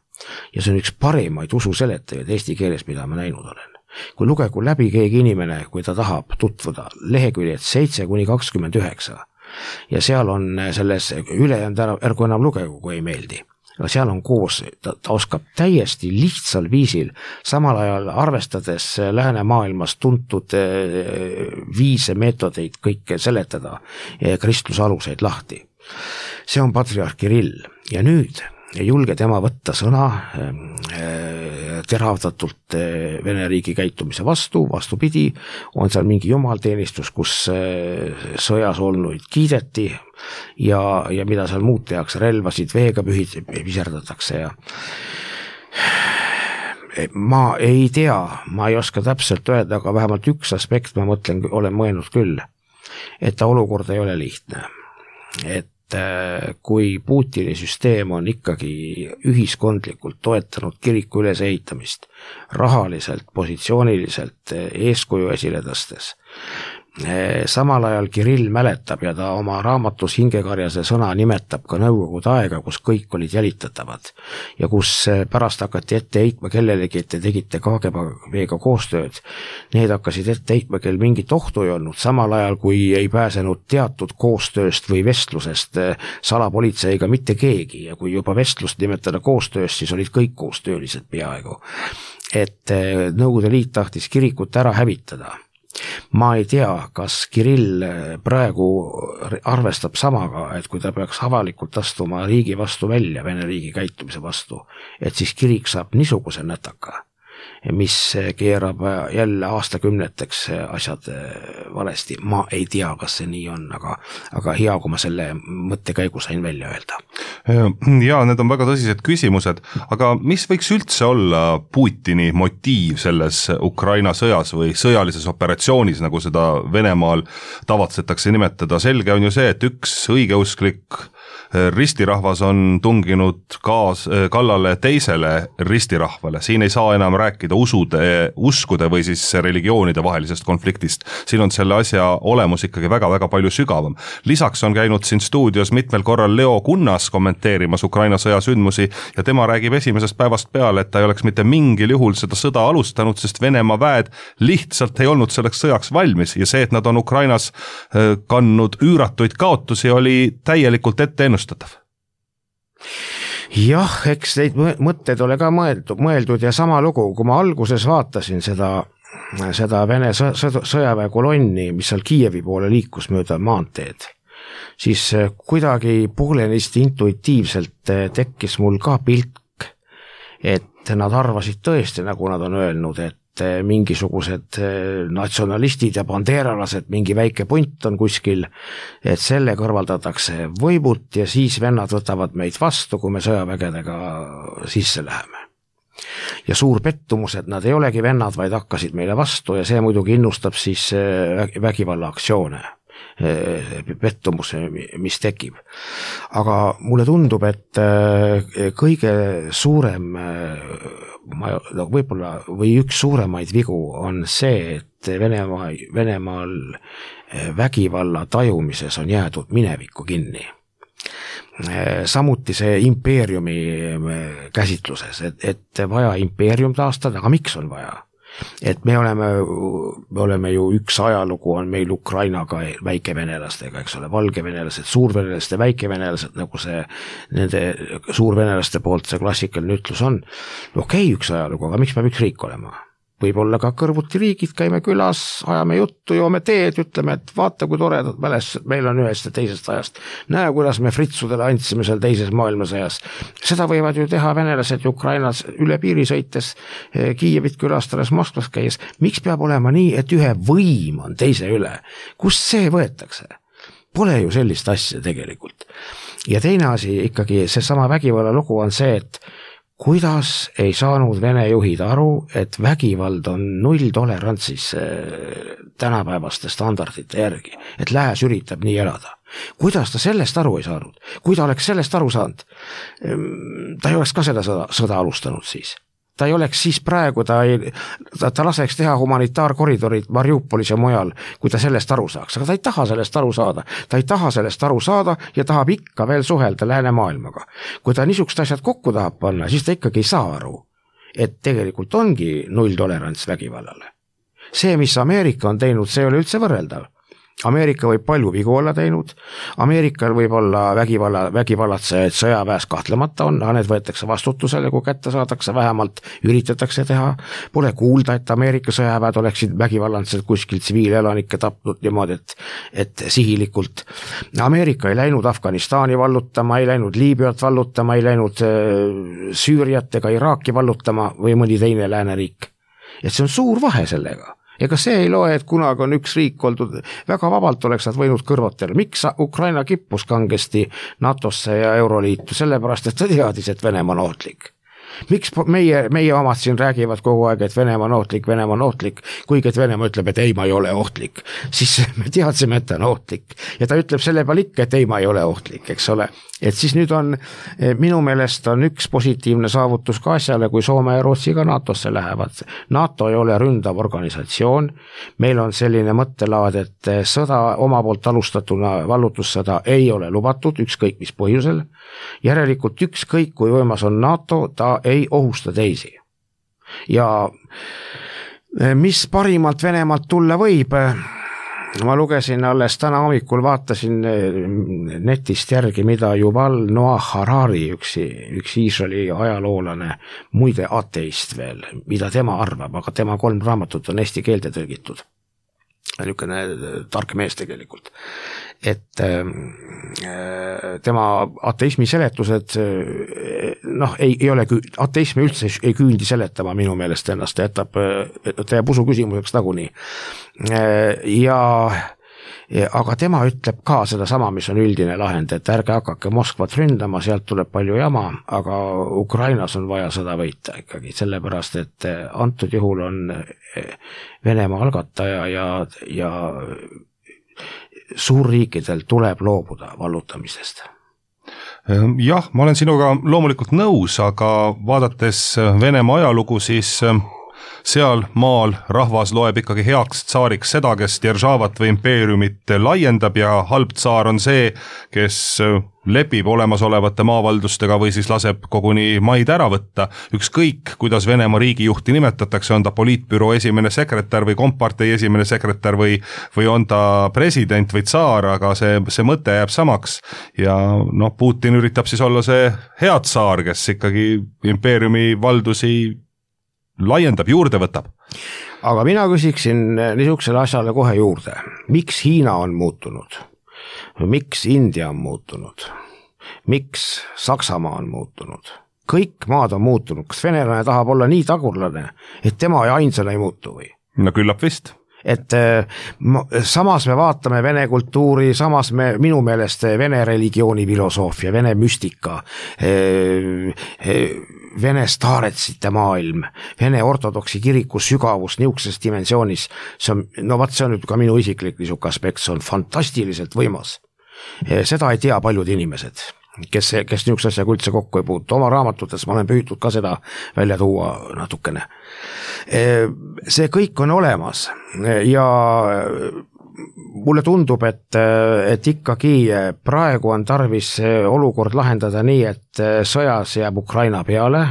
ja see on üks parimaid ususeletajaid eesti keeles, mida ma näinud olen. Kui lugegu läbi keegi inimene, kui ta tahab tutvuda, leheküljed seitse kuni kakskümmend üheksa ja seal on selles ülejäänud ära, ärgu enam lugegu, kui ei meeldi. Aga seal on koos, ta, ta oskab täiesti lihtsal viisil, samal ajal arvestades läänemaailmas tuntud viise meetodeid kõike seletada kristluse aluseid lahti. See on patriarh Kirill ja nüüd ei julge tema võtta sõna teravdatult Vene riigi käitumise vastu, vastupidi, on seal mingi jumalteenistus, kus sõjas olnuid kiideti ja, ja mida seal muud tehakse, relvasid veega pühid, viserdatakse ja ma ei tea, ma ei oska täpselt öelda, aga vähemalt üks aspekt ma mõtlen, olen mõelnud küll, et ta olukord ei ole lihtne, et kui Putini süsteem on ikkagi ühiskondlikult toetanud kiriku ülesehitamist, rahaliselt, positsiooniliselt, eeskuju esile tõstes. Samal ajal Kirill mäletab ja ta oma raamatus Hingekarjase sõna nimetab ka nõukogude aega, kus kõik olid jälitatavad ja kus pärast hakati ette heitma kellelegi, et te tegite K G B-ga koostööd. Need hakkasid ette heitma, kel mingit ohtu ei olnud, samal ajal kui ei pääsenud teatud koostööst või vestlusest salapolitseiga mitte keegi ja kui juba vestlust nimetada koostööst, siis olid kõik koostöölised peaaegu. Et Nõukogude Liit tahtis kirikut ära hävitada. Ma ei tea, kas Kirill praegu arvestab samaga, et kui ta peaks avalikult astuma riigi vastu välja, Vene riigi käitumise vastu, et siis kirik saab niisuguse nätaka, mis keerab jälle aastakümneteks asjad valesti. Ma ei tea, kas see nii on, aga, aga hea, kui ma selle mõttekäigu sain välja öelda.
Ja, need on väga tõsised küsimused, aga mis võiks üldse olla Putini motiiv selles Ukraina sõjas või sõjalises operatsioonis, nagu seda Venemaal tavatsetakse nimetada? Selge on ju see, et üks õigeusklik ristirahvas on tunginud kaas, kallale teisele ristirahvale. Siin ei saa enam rääkida usude, uskude või siis religioonide vahelisest konfliktist. Siin on selle asja olemus ikkagi väga-väga palju sügavam. Lisaks on käinud siin stuudios mitmel korral Leo Kunnas kommenteerimas Ukraina sõja sündmusi ja tema räägib esimesest päevast peale, et ta ei oleks mitte mingil juhul seda sõda alustanud, sest Venemaa väed lihtsalt ei olnud selleks sõjaks valmis ja see, et nad on Ukrainas kandnud üüratuid kaotusi, oli täielikult ette ennustatav.
Jah, eks neid mõtteid ole ka mõeldud, mõeldud ja sama lugu, kui ma alguses vaatasin seda, seda Vene sõjaväe kolonni, mis seal Kiievi poole liikus mööda maanteed, siis kuidagi poolenisti intuitiivselt tekkis mul ka pilk, et nad arvasid tõesti, nagu nad on öelnud, et mingisugused natsionalistid ja bandeeralased, mingi väike punt on kuskil, et selle kõrvaldatakse võimult ja siis vennad võtavad meid vastu, kui me sõjavägedega sisse läheme. Ja suur pettumus, et nad ei olegi vennad, vaid hakkasid meile vastu ja see muidugi innustab siis vägivalla aktsioone, pettumus, mis tekib. Aga mulle tundub, et kõige suurem ma, no võib-olla või üks suuremaid vigu on see, et Venemaa, Venemaal vägivalla tajumises on jäädud minevikku kinni. Samuti see impeeriumi käsitluses, et, et vaja impeerium taastada, aga miks on vaja? Et me oleme, me oleme ju üks ajalugu on meil Ukrainaga väikevenelastega, eks ole, valgevenelased, suurvenelased ja väikevenelased, nagu see nende suurvenelaste poolt see klassikaline ütlus on. Okei, üks ajalugu, aga miks peab üks riik olema? Võib-olla ka kõrvuti riigid, käime külas, ajame juttu, joome teed, ütleme, et vaata, kui toredad mälestused meil on ühest ja teisest ajast. Näe, kuidas me fritsudele andsime seal teises maailmasõjas. Seda võivad ju teha venelased ja Ukrainas üle piiri sõites, Kiievit külastades, Moskvas käies. Miks peab olema nii, et ühe võim on teise üle? Kust see võetakse? Pole ju sellist asja tegelikult. Ja teine asi ikkagi, see sama vägivalla lugu on see, et kuidas ei saanud Vene juhid aru, et vägivald on null tolerantsis tänapäevaste standardite järgi, et lääs üritab nii elada. Kuidas ta sellest aru ei saanud? Kui ta oleks sellest aru saanud, ta ei oleks ka seda sõda, sõda alustanud siis. Ta ei oleks siis praegu, ta, ei, ta, ta laseks teha humanitaarkoridorid Mariupolis ja mujal, kui ta sellest aru saaks. Aga ta ei taha sellest aru saada. Ta ei taha sellest aru saada ja tahab ikka veel suhelda läänemaailmaga. Kui ta niisugust asjad kokku tahab panna, siis ta ikkagi ei saa aru, et tegelikult ongi null tolerants vägivallale. See, mis Ameerika on teinud, see ei ole üldse võrreldav. Ameerika võib palju vigu olla teinud, Ameerikal võib olla vägivalla, vägivallatsejaid sõjaväes kahtlemata on, need võetakse vastutusele, kui kätte saadakse, vähemalt üritatakse teha. Pole kuulda, et Ameerika sõjaväed oleksid vägivallatsed kuskil tsiviilelanikke tapnud niimoodi, et, et sihilikult. Ameerika ei läinud Afganistani vallutama, ei läinud Liibüat vallutama, ei läinud Süüriat ega Iraaki vallutama või mõni teine lääneriik. Et see on suur vahe sellega. Ega see ei loe, et kunagi on üks riik oldud, väga vabalt oleks nad võinud kõrvatel. Miks Ukraina kippus kangesti NATOsse ja Euroliitu? Sellepärast, et ta teadis, et Venemaa on ohtlik. Miks meie, meie omad siin räägivad kogu aeg, et Venemaa on ohtlik, Venemaa on ohtlik, kuigi et Venemaa ütleb, et ei, ma ei ole ohtlik. Siis me teadsime, et ta on ohtlik. Ja ta ütleb selle peal ikka, et ei, ma ei ole ohtlik, eks ole. Et siis nüüd on, minu meelest on üks positiivne saavutus ka asjale, kui Soome ja Rootsi ka NATOsse lähevad. NATO ei ole ründav organisatsioon. Meil on selline mõttelaad, et sõda oma poolt alustatuna vallutussõda ei ole lubatud, ükskõik mis põhjusel. Järelikult ükskõik, kui võimas on NATO, ta ei ohusta teisi. Ja mis parimalt Venemaalt tulla võib? Ma lugesin alles täna hommikul, vaatasin netist järgi, mida Yuval Noah Harari, üks, üks Iisraeli ajaloolane, muide ateist veel, mida tema arvab, aga tema kolm raamatut on eesti keelde tõlgitud. Niisugune tark mees tegelikult. Et tema ateismi seletused, noh, ei, ei ole, ateismi üldse ei küündi seletama minu meelest ennast, ta jätab, ta jääb usu küsimuseks nagunii. Ja, aga tema ütleb ka seda sama, mis on üldine lahend, et ärge hakake Moskvat ründama, sealt tuleb palju jama, aga Ukrainas on vaja sõda võita ikkagi, sellepärast, et antud juhul on Venemaa algataja ja, ja suurriikidel tuleb loobuda vallutamisest.
Jah, ma olen sinuga loomulikult nõus, aga vaadates Venemaa ajalugu, siis seal maal rahvas loeb ikkagi heaks tsaariks seda, kes Deržavat või impeeriumit laiendab ja halb tsaar on see, kes lepib olemasolevate maavaldustega või siis laseb koguni maid ära võtta. Ükskõik, kuidas Venemaa riigijuhti nimetatakse, on ta poliitbüroo esimene sekretär või kompartei esimene sekretär või, või on ta president või tsaar, aga see, see mõte jääb samaks. Ja noh, Putin üritab siis olla see hea tsaar, kes ikkagi impeeriumi valdusi laiendab, juurde võtab.
Aga mina küsiksin niisugusele asjale kohe juurde. Miks Hiina on muutunud? Miks India on muutunud? Miks Saksamaa on muutunud? Kõik maad on muutunud. Kas venelane tahab olla nii tagurlane, et tema ainsana ei muutu või?
No küllap vist.
Et samas me vaatame vene kultuuri, samas me, minu meelest vene religiooni filosoofia, vene müstika, vene staaretsite maailm, vene ortodoksi kiriku sügavus niisuguses dimensioonis, see on, no vaat see on nüüd ka minu isiklik niisugune aspekt, see on fantastiliselt võimas. Seda ei tea paljud inimesed, kes, kes niisuguse asjaga üldse kokku ei puutu. Oma raamatutes ma olen püütud ka seda välja tuua natukene. See kõik on olemas ja mulle tundub, et, et ikkagi praegu on tarvis olukord lahendada nii, et sõjas jääb Ukraina peale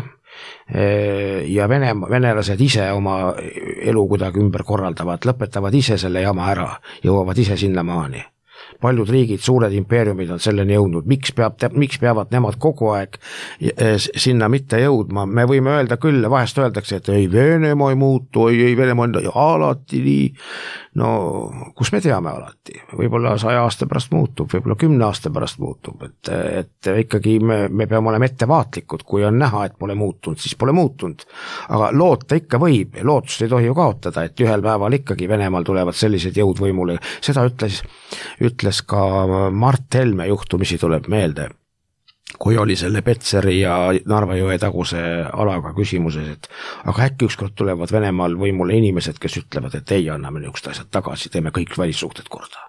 ja Vene, venelased ise oma elu kuidagi ümber korraldavad, lõpetavad ise selle jama ära, jõuavad ise sinna maani. Paljud riigid, suured impeeriumid on selleni jõudnud, miks, peab, miks peavad nemad kogu aeg sinna mitte jõudma, me võime öelda küll, vahest öeldakse, et ei Venemaa ei muutu, ei, ei Venemaa on alati nii, no kus me teame alati, võib-olla saja aasta pärast muutub, võib-olla kümne aasta pärast muutub, et, et ikkagi me, me peame olema ettevaatlikud, kui on näha, et pole muutunud, siis pole muutunud, aga loota ikka võib, lootust ei tohi ju kaotada, et ühel päeval ikkagi Venemaal tulevad sellised jõud võimule, seda ütles, ütles ka Mart Helme juhtumisi tuleb meelde, kui oli selle Petseri ja Narva jõe taguse alaga küsimuses, et aga äkki ükskord tulevad Venemaal võimule inimesed, kes ütlevad, et ei, anname niisugused asjad tagasi, teeme kõik välissuhted korda.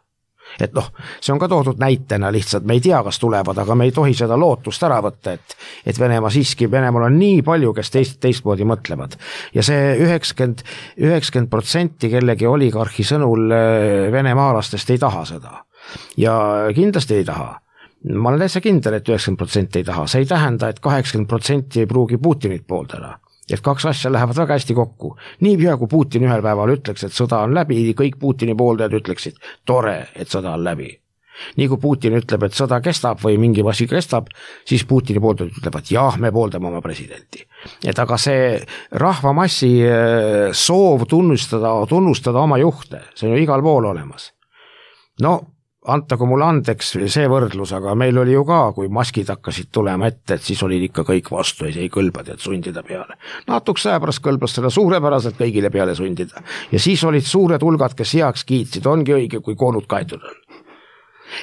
Et noh, see on ka toodud näitena lihtsalt, me ei tea, kas tulevad, aga me ei tohi seda lootust ära võtta, et, et Venemaa siiski, Venemaal on nii palju, kes teist, teistmoodi mõtlevad. Ja see üheksakümmend protsenti kellegi oligarhi sõnul venemaalastest ei taha seda. Ja kindlasti ei taha. Ma olen täitsa kindel, et üheksakümmend protsenti ei taha. See ei tähenda, et kaheksakümmend protsenti ei pruugi Putinit pooldada. Et kaks asja lähevad väga hästi kokku. Nii pea, kui Putin ühel päeval ütleks, et sõda on läbi, kõik Putini pooldajad ütleksid, tore, et sõda on läbi. Nii kui Putin ütleb, et sõda kestab või mingi asi kestab, siis Putini pooldajad ütlevad, jah, me pooldame oma presidenti. Et aga see rahvamassi soov tunnustada, tunnustada oma juhte, see on ju igal pool olemas. No, antagu mulle andeks see võrdlus, aga meil oli ju ka, kui maskid hakkasid tulema ette, et siis olid ikka kõik vastu, ei kõlbad, et sundida peale. Natuks aja pärast kõlbas seda suurepäraselt kõigile peale sundida. Ja siis olid suured hulgad, kes heaks kiitsid, ongi õige, kui koonud kaetud on.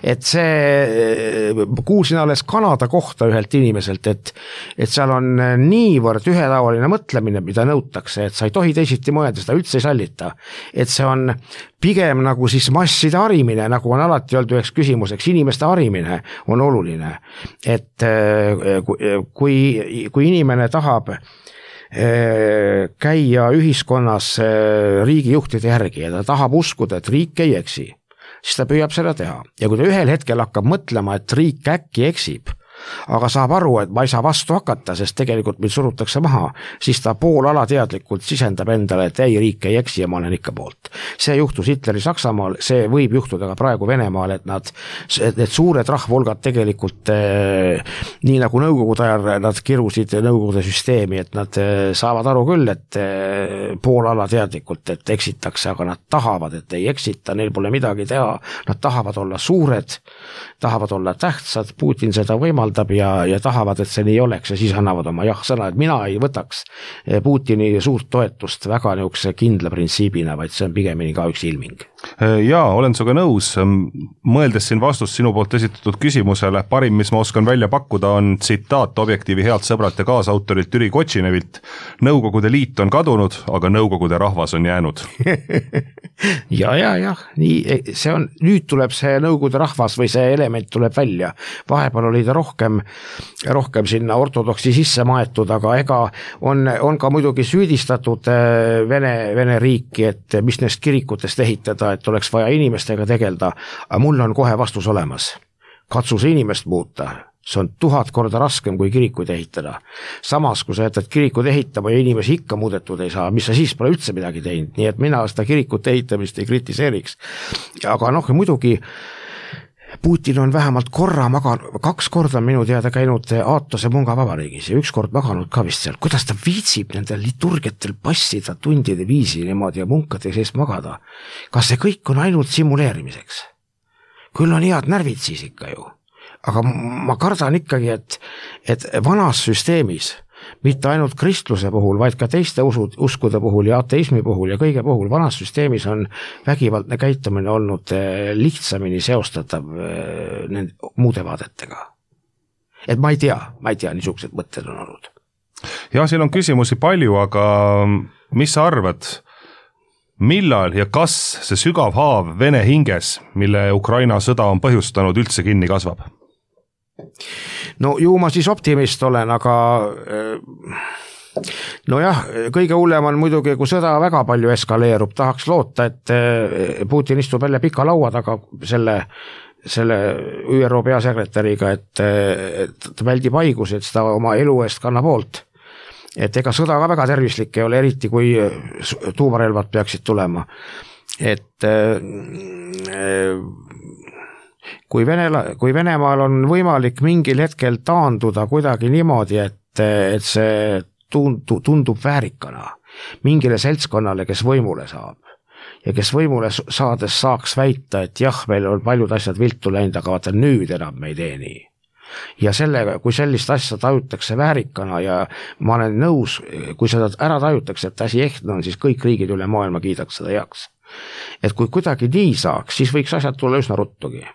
Et see, kuulsin alles Kanada kohta ühelt inimeselt, et, et seal on niivõrd ühetaoline mõtlemine, mida nõutakse, et sa ei tohi teisiti mõelda, seda üldse ei sallita. Et see on pigem nagu siis masside harimine, nagu on alati olnud üheks küsimuseks, inimeste harimine on oluline. Et kui, kui inimene tahab käia ühiskonnas riigijuhtide järgi ja ta tahab uskuda, et riik ei eksi, siis ta püüab seda teha. Ja kui ta ühel hetkel hakkab mõtlema, et riik äkki eksib, aga saab aru, et ma ei saa vastu hakata, sest tegelikult mind surutakse maha, siis ta pool alateadlikult sisendab endale, et ei, riik ei eksi ja ma olen ikka poolt. See juhtus Hitleri Saksamaal, see võib juhtuda ka praegu Venemaal, et nad, need suured rahvulgad tegelikult eh, nii nagu nõukogude ajal nad kirusid nõukogude süsteemi, et nad eh, saavad aru küll, et eh, pool alateadlikult, et eksitakse, aga nad tahavad, et ei eksita, neil pole midagi teha, nad tahavad olla suured, tahavad olla tähtsad, Putin seda võimaldab ja, ja tahavad, et see nii oleks ja siis annavad oma jah-sõna, et mina ei võtaks Putini suurt toetust väga niisuguse kindla printsiibina, vaid see on pigemini ka üks ilming.
Jaa, olen suga nõus. Mõeldes siin vastust sinu poolt esitatud küsimusele, parim, mis ma oskan välja pakkuda, on tsitaat Objektiivi healt sõbrat ja kaasautorilt Jüri Kotšinevilt. Nõukogude liit on kadunud, aga nõukogude rahvas on jäänud.
ja, ja, ja, nii, see on, nüüd tuleb see nõukogude rahvas või see element tuleb välja. Vahepeal oli ta rohkem rohkem, rohkem sinna ortodoksi sisse maetud, aga ega on, on ka muidugi süüdistatud Vene, Vene riiki, et mis neist kirikutest ehitada, et oleks vaja inimestega tegelda, aga mul on kohe vastus olemas. Katsu see inimest muuta, see on tuhat korda raskem kui kirikuid ehitada. Samas, kui sa jätad kirikud ehitama ja inimesi ikka muudetud ei saa, mis sa siis pole üldse midagi teinud, nii et mina seda kirikute ehitamist ei kritiseeriks. Aga noh, muidugi Putin on vähemalt korra maganud, kaks korda minu teada käinud Aatose Munga vabariigis ja üks kord maganud ka vist seal. Kuidas ta viitsib nendel liturgiatel passida tundide viisi niimoodi ja munkade sees magada? Kas see kõik on ainult simuleerimiseks? Küll on head närvid siis ikka ju. Aga ma kardan ikkagi, et, et vanas süsteemis, mitte ainult kristluse puhul, vaid ka teiste usud, uskude puhul ja ateismi puhul ja kõige puhul, vanas süsteemis on vägivaldne käitumine olnud lihtsamini seostatav nende muude vaadetega. Et ma ei tea, ma ei tea, niisugused mõtted on olnud.
Ja siin on küsimusi palju, aga mis sa arvad, millal ja kas see sügav haav Vene hinges, mille Ukraina sõda on põhjustanud, üldse kinni kasvab?
No ju ma siis optimist olen, aga no jah, kõige hullem on muidugi, kui sõda väga palju eskaleerub, tahaks loota, et Putin istub jälle pika laua taga selle, selle Ü R O peasekretäriga, et, et väldib haigusi, et seda oma elu eest kannab hoolt. Et ega sõda ka väga tervislik ei ole, eriti kui tuumarelvad peaksid tulema. Et kui, Venela, kui Venemaal on võimalik mingil hetkel taanduda kuidagi niimoodi, et, et see tundu, tundub väärikana mingile seltskonnale, kes võimule saab ja kes võimule saades saaks väita, et jah, meil on paljud asjad viltu läinud, aga vaata nüüd enam me ei tee nii. Ja sellega, kui sellist asja tajutakse väärikana ja ma olen nõus, kui seda ära tajutakse, et asi ehtne on, siis kõik riigid üle maailma kiidaks seda heaks. Et kui kuidagi nii saaks, siis võiks asjad tulla üsna ruttugi.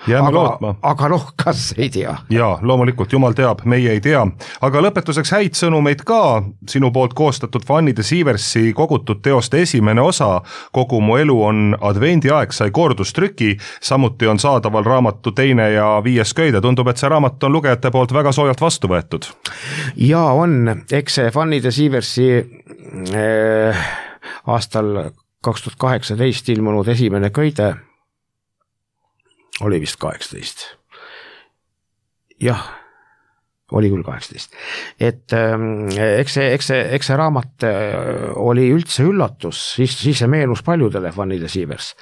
Jääme
aga,
lootma.
Aga noh, kas ei tea?
Jaa, loomulikult, jumal teab, meie ei tea. Aga lõpetuseks häid sõnumeid ka. Sinu poolt koostatud Fannide Siiversi kogutud teoste esimene osa Kogu mu elu on advendiaeg sai kordustrüki, samuti on saadaval raamatu teine ja viies köide. Tundub, et see raamat on lugejate poolt väga soojalt vastu võetud. Jaa,
on. Eks see Fannide Siiversi äh, aastal kaks tuhat kaheksateist ilmunud esimene köide oli vist kaheksateist. Jah, oli küll kaheksateist. Et eks see, eks see, eks see raamat oli üldse üllatus, siis, siis see meenus paljudele Fannide Siivers.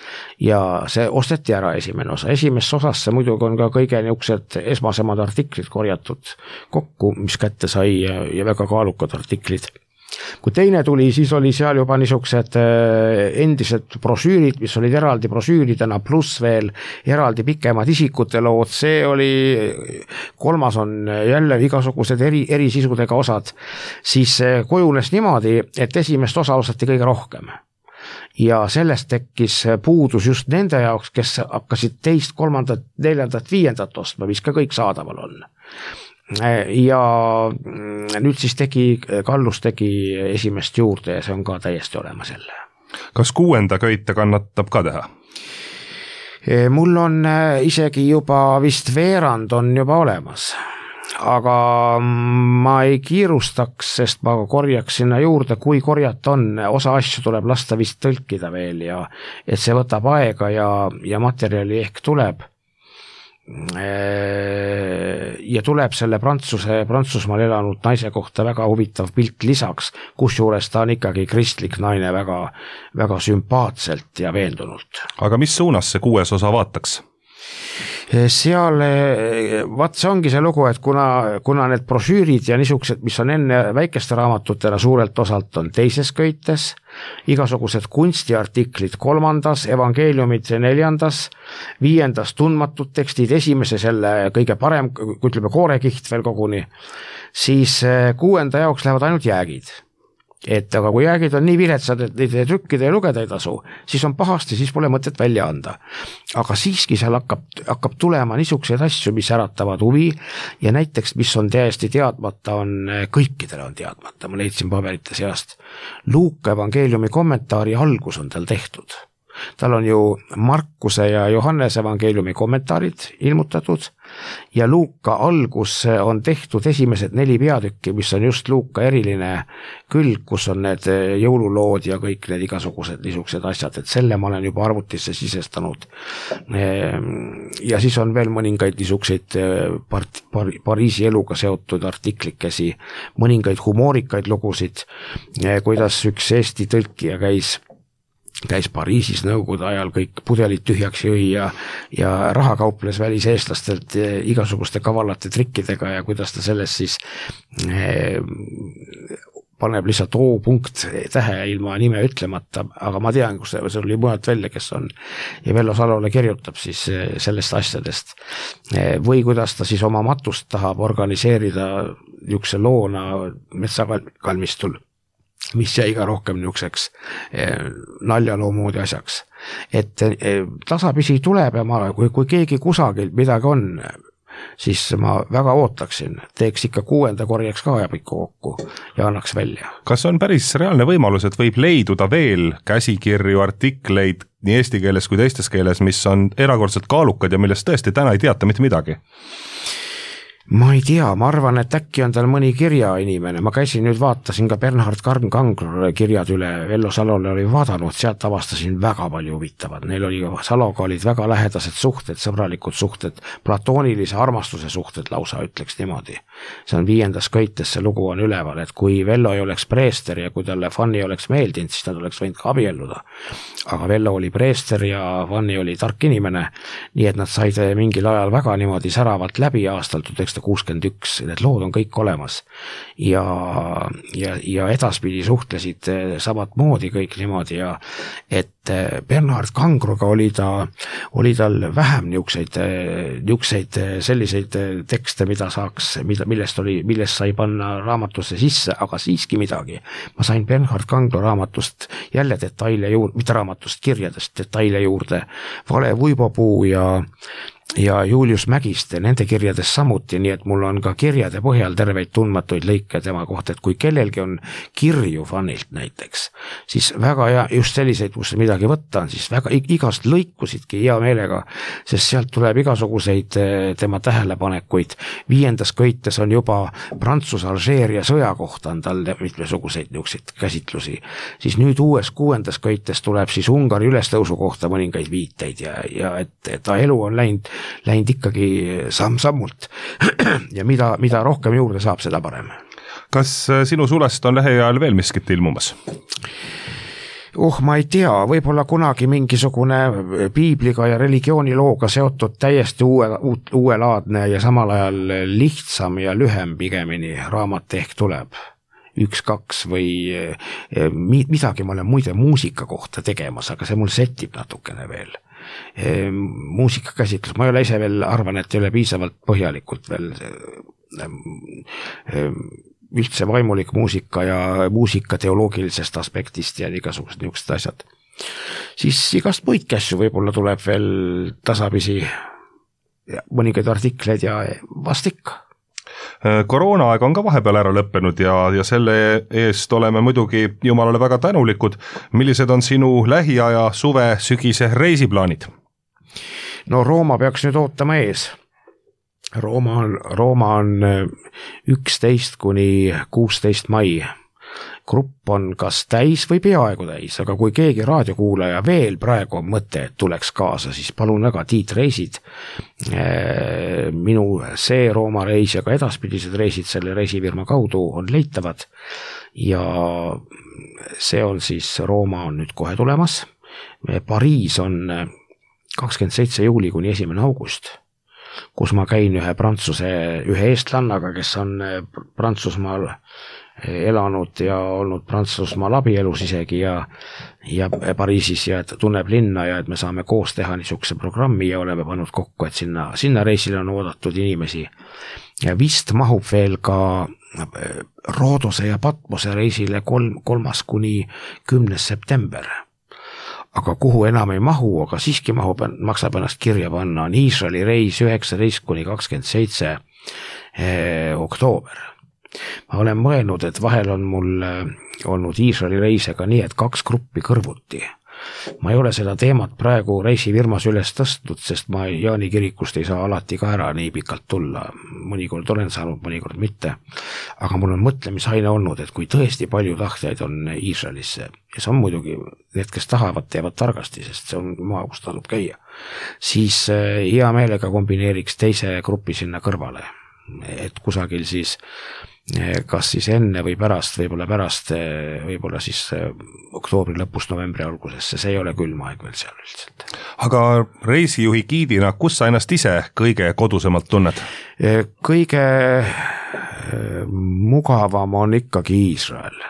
Ja see osteti ära esimene osa. Esimesse osasse muidugi on ka kõige niisugused esmasemad artiklid korjatud kokku, mis kätte sai ja, ja väga kaalukad artiklid. Kui teine tuli, siis oli seal juba niisugused endised brosüürid, mis olid eraldi brosüüridena, pluss veel eraldi pikemad isikute lood. See oli, kolmas on jälle igasugused eri, eri sisudega osad. Siis kujunes niimoodi, et esimest osa osati kõige rohkem. Ja sellest tekkis puudus just nende jaoks, kes hakkasid teist, kolmandat, neljandat, viiendat ostma, mis ka kõik saadaval on. Ja nüüd siis tegi, Kallus tegi esimest juurde ja see on ka täiesti olemas jälle.
Kas kuuenda köite kannatab ka teha?
Mul on isegi juba vist veerand on juba olemas, aga ma ei kiirustaks, sest ma korjaks sinna juurde, kui korjata on, osa asju tuleb lasta vist tõlkida veel ja et see võtab aega ja, ja materjali ehk tuleb. Ja tuleb selle Prantsuse, Prantsusmaal elanud naise kohta väga huvitav pilt lisaks, kus juures ta on ikkagi kristlik naine väga, väga sümpaatselt ja veendunult.
Aga mis suunas see kuues osa vaataks?
Seal, vaat see ongi see lugu, et kuna, kuna need brosüürid ja niisugused, mis on enne väikeste raamatutena suurelt osalt on teises köites, igasugused kunstiartiklid kolmandas, evangeeliumid neljandas, viiendas tundmatud tekstid, esimese selle kõige parem, kui ütleme koorekiht veel koguni, siis kuuenda jaoks lähevad ainult jäägid. Et aga kui jäägid on nii viletsad, et neid trükkida ja lugeda ei tasu, siis on pahasti, siis pole mõtet välja anda. Aga siiski seal hakkab, hakkab tulema niisuguseid asju, mis äratavad huvi ja näiteks, mis on täiesti teadmata, on kõikidele on teadmata, ma leidsin paberite seast. Luuka evangeeliumi kommentaari algus on tal tehtud. tal on ju Markuse ja Johannese evangeeliumi kommentaarid ilmutatud ja Luuka algus on tehtud esimesed neli peatükki, mis on just Luuka eriline külg, kus on need jõululood ja kõik need igasugused niisugused asjad, et selle ma olen juba arvutisse sisestanud. Ja siis on veel mõningaid niisugused part, par, Pariisi eluga seotud artiklikesi, mõningaid humoorikaid lugusid, kuidas üks Eesti tõlkija käis käis Pariisis nõukogude ajal, kõik pudelid tühjaks jõi ja, ja raha kauples väliseestlastelt igasuguste kavalate trikkidega ja kuidas ta sellest siis eh, paneb lihtsalt O-punkt tähe ilma nime ütlemata, aga ma tean, kus see, see oli mujalt välja, kes on ja Vello Salole kirjutab siis sellest asjadest. Või kuidas ta siis oma matust tahab organiseerida niisuguse loona metsakalmistul, mis jäi ka rohkem niisuguseks naljaloo moodi asjaks. Et tasapisi tuleb ja ma, kui, kui keegi kusagil midagi on, siis ma väga ootaksin, teeks ikka kuuenda korjaks ka ajapikku kokku ja annaks välja.
Kas on päris reaalne võimalus, et võib leiduda veel käsikirju, artikleid nii eesti keeles kui teistes keeles, mis on erakordselt kaalukad ja millest tõesti täna ei teata mitte midagi?
Ma ei tea, ma arvan, et äkki on tal mõni kirjainimene, ma käisin nüüd vaatasin ka Bernhard Kangro kirjad üle, Vello Salole oli vaadanud, sealt avastasin väga palju huvitavat, neil oli Saloga olid väga lähedased suhted, sõbralikud suhted, platoonilise armastuse suhted lausa ütleks niimoodi. See on viiendas köites, see lugu on üleval, et kui Vello ei oleks preester ja kui talle Fanny oleks meeldinud, siis nad oleks võinud ka abielluda. Aga Vello oli preester ja Fanny oli tark inimene, nii et nad said mingil ajal väga niimoodi säravalt läbi aastal tuhat üheksasada kuuskümmend üks, need lood on kõik olemas ja, ja, ja edaspidi suhtlesid samat moodi kõik niimoodi ja et Bernhard Kangroga oli ta, oli tal vähem niukseid, niukseid selliseid tekste, mida saaks, mida, millest oli, millest sai panna raamatusse sisse, aga siiski midagi. Ma sain Bernhard Kangro raamatust jälle detaile juurde, mitte raamatust, kirjadest detaile juurde, Vale Vuibopuu ja ja Julius Mägiste, nende kirjades samuti, nii et mul on ka kirjade põhjal terveid tundmatuid lõike tema kohta, et kui kellelgi on kirju Fannilt näiteks, siis väga hea, just selliseid, kus midagi võtta on, siis väga igast lõikusidki hea meelega, sest sealt tuleb igasuguseid tema tähelepanekuid. Viiendas köites on juba Prantsuse-Alžeeria sõja kohta on tal mitmesuguseid niukseid käsitlusi, siis nüüd uues kuuendas köites tuleb siis Ungari ülestõusu kohta mõningaid viiteid ja, ja et, et ta elu on läinud läinud ikkagi samm-sammult ja mida, mida rohkem juurde saab, seda parem.
Kas sinu sulest on lähiajal veel miskit ilmumas?
Oh, ma ei tea, võib-olla kunagi mingisugune piibliga ja religioonilooga seotud täiesti uue, uuelaadne ja samal ajal lihtsam ja lühem pigemini raamat ehk tuleb. Üks, kaks või midagi ma olen muide muusika kohta tegemas, aga see mul setib natukene veel. Muusikakäsitlus, ma ei ole ise veel arvan, et ei ole piisavalt põhjalikult veel üldse vaimulik muusika ja muusika teoloogilisest aspektist ja igasugused niisugused asjad. Siis igast muid kässu võib-olla tuleb veel tasapisi mõningaid artikleid ja vast ikka.
Koroonaaeg on ka vahepeal ära lõppenud ja, ja selle eest oleme muidugi Jumalale väga tänulikud. Millised on sinu lähiaja suve sügise reisiplaanid?
No Rooma peaks nüüd ootama ees. Rooma on, Rooma on üksteist kuni kuusteist mai. Grupp on kas täis või peaaegu täis, aga kui keegi raadiokuulaja veel praegu on mõte, et tuleks kaasa, siis palun väga, Tiit reisid. Minu see Rooma reis ja ka edaspidised reisid selle reisifirma kaudu on leitavad ja see on siis, Rooma on nüüd kohe tulemas. Pariis on kakskümmend seitse juuli kuni esimene august, kus ma käin ühe prantsuse, ühe eestlannaga, kes on Prantsusmaal elanud ja olnud Prantsusmaal abielus isegi ja, ja Pariisis ja et tunneb linna ja et me saame koos teha niisuguse programmi ja oleme pannud kokku, et sinna, sinna reisile on oodatud inimesi. Ja vist mahub veel ka Roodose ja Patmose reisile kolm, kolmas kuni kümnes september. Aga kuhu enam ei mahu, aga siiski mahub, maksab ennast kirja panna, on Iisraeli reis üheksateist kuni kakskümmend seitse eh, oktoober. Ma olen mõelnud, et vahel on mul olnud Iisraeli reisega nii, et kaks gruppi kõrvuti. ma ei ole seda teemat praegu reisifirmas üles tõstnud, sest ma Jaani kirikust ei saa alati ka ära nii pikalt tulla, mõnikord olen saanud, mõnikord mitte, aga mul on mõtlemisaine olnud, et kui tõesti palju tahtjaid on Iisraelisse ja see on muidugi need, kes tahavad, teevad targasti, sest see on maa, kus tasub käia, siis hea meelega kombineeriks teise grupi sinna kõrvale, et kusagil siis kas siis enne või pärast, võib-olla pärast, võib-olla siis oktoobri lõpust, novembri algusesse, see ei ole külm aeg veel seal üldiselt.
Aga reisijuhi giidina, kus sa ennast ise kõige kodusemalt tunned?
Kõige mugavam on ikkagi Iisrael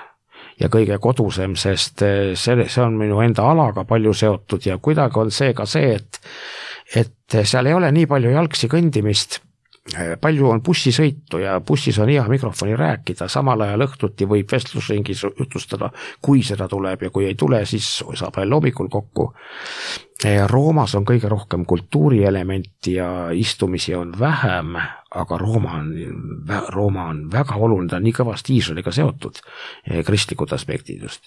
ja kõige kodusem, sest see, see on minu enda alaga palju seotud ja kuidagi on see ka see, et, et seal ei ole nii palju jalgsi kõndimist, palju on bussisõitu ja bussis on hea mikrofoni rääkida, samal ajal õhtuti võib vestlusringis jutlustada, kui seda tuleb ja kui ei tule, siis saab veel hommikul kokku. Roomas on kõige rohkem kultuurielementi ja istumisi on vähem, aga Rooma on, Rooma on väga oluline, ta on nii kõvasti Iisraeliga seotud, kristlikud aspektid just.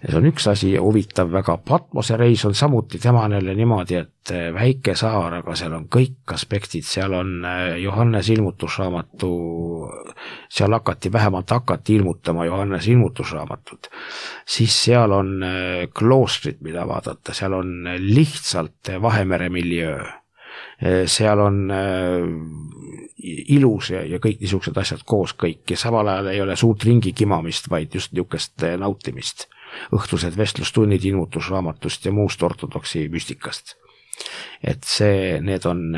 See on üks asi huvitav, väga Patmose reis on samuti temanele niimoodi, et väike saar, aga seal on kõik aspektid, seal on Johannes ilmutusraamatu, seal hakati, vähemalt hakati ilmutama Johannes ilmutusraamatut, siis seal on kloostrid, mida vaadata, seal on lihtsalt Vahemere miljöö, seal on ilus ja, ja kõik niisugused asjad koos kõik ja samal ajal ei ole suurt ringi kimamist, vaid just niisugust nautimist, õhtused vestlustunnid ilmutusraamatust ja muust ortodoksi müstikast. Et see, need on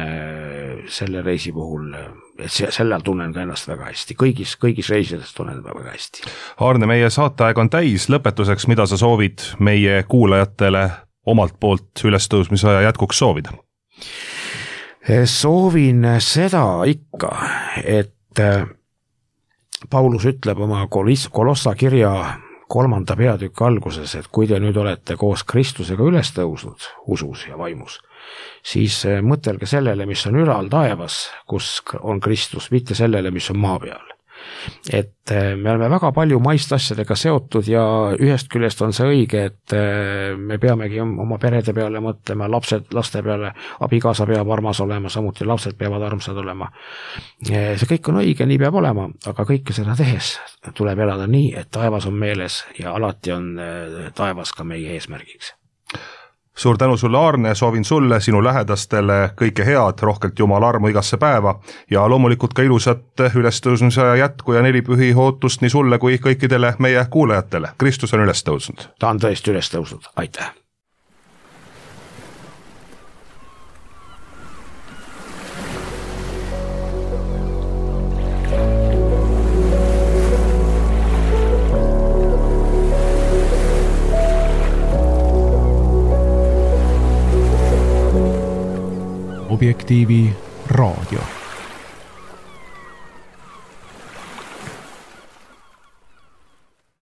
selle reisi puhul, et sellel tunnen ka ennast väga hästi, kõigis, kõigis reisides tunnen väga hästi.
Aarne, meie saateaeg on täis, lõpetuseks, mida sa soovid meie kuulajatele omalt poolt ülestõusmise aja jätkuks soovida?
Soovin seda ikka, et Paulus ütleb oma Kolossa kirja kolmanda peatükk alguses, et kui te nüüd olete koos Kristusega üles tõusnud usus ja vaimus, siis mõtelge sellele, mis on ülal taevas, kus on Kristus, mitte sellele, mis on maa peal. Et me oleme väga palju maist asjadega seotud ja ühest küljest on see õige, et me peamegi oma perede peale mõtlema, lapsed, laste peale, abikaasa peab armas olema, samuti lapsed peavad armsad olema. See kõik on õige, nii peab olema, aga kõike seda tehes tuleb elada nii, et taevas on meeles ja alati on taevas ka meie eesmärgiks.
Suur tänu sulle, Aarne, soovin sulle, sinu lähedastele kõike head, rohkelt Jumala armu igasse päeva ja loomulikult ka ilusat ülestõusmise aja jätku ja nelipühi ootust nii sulle kui kõikidele meie kuulajatele. Kristus on üles tõusnud.
Ta on tõesti üles tõusnud. Aitäh!
Objektiivi raadio.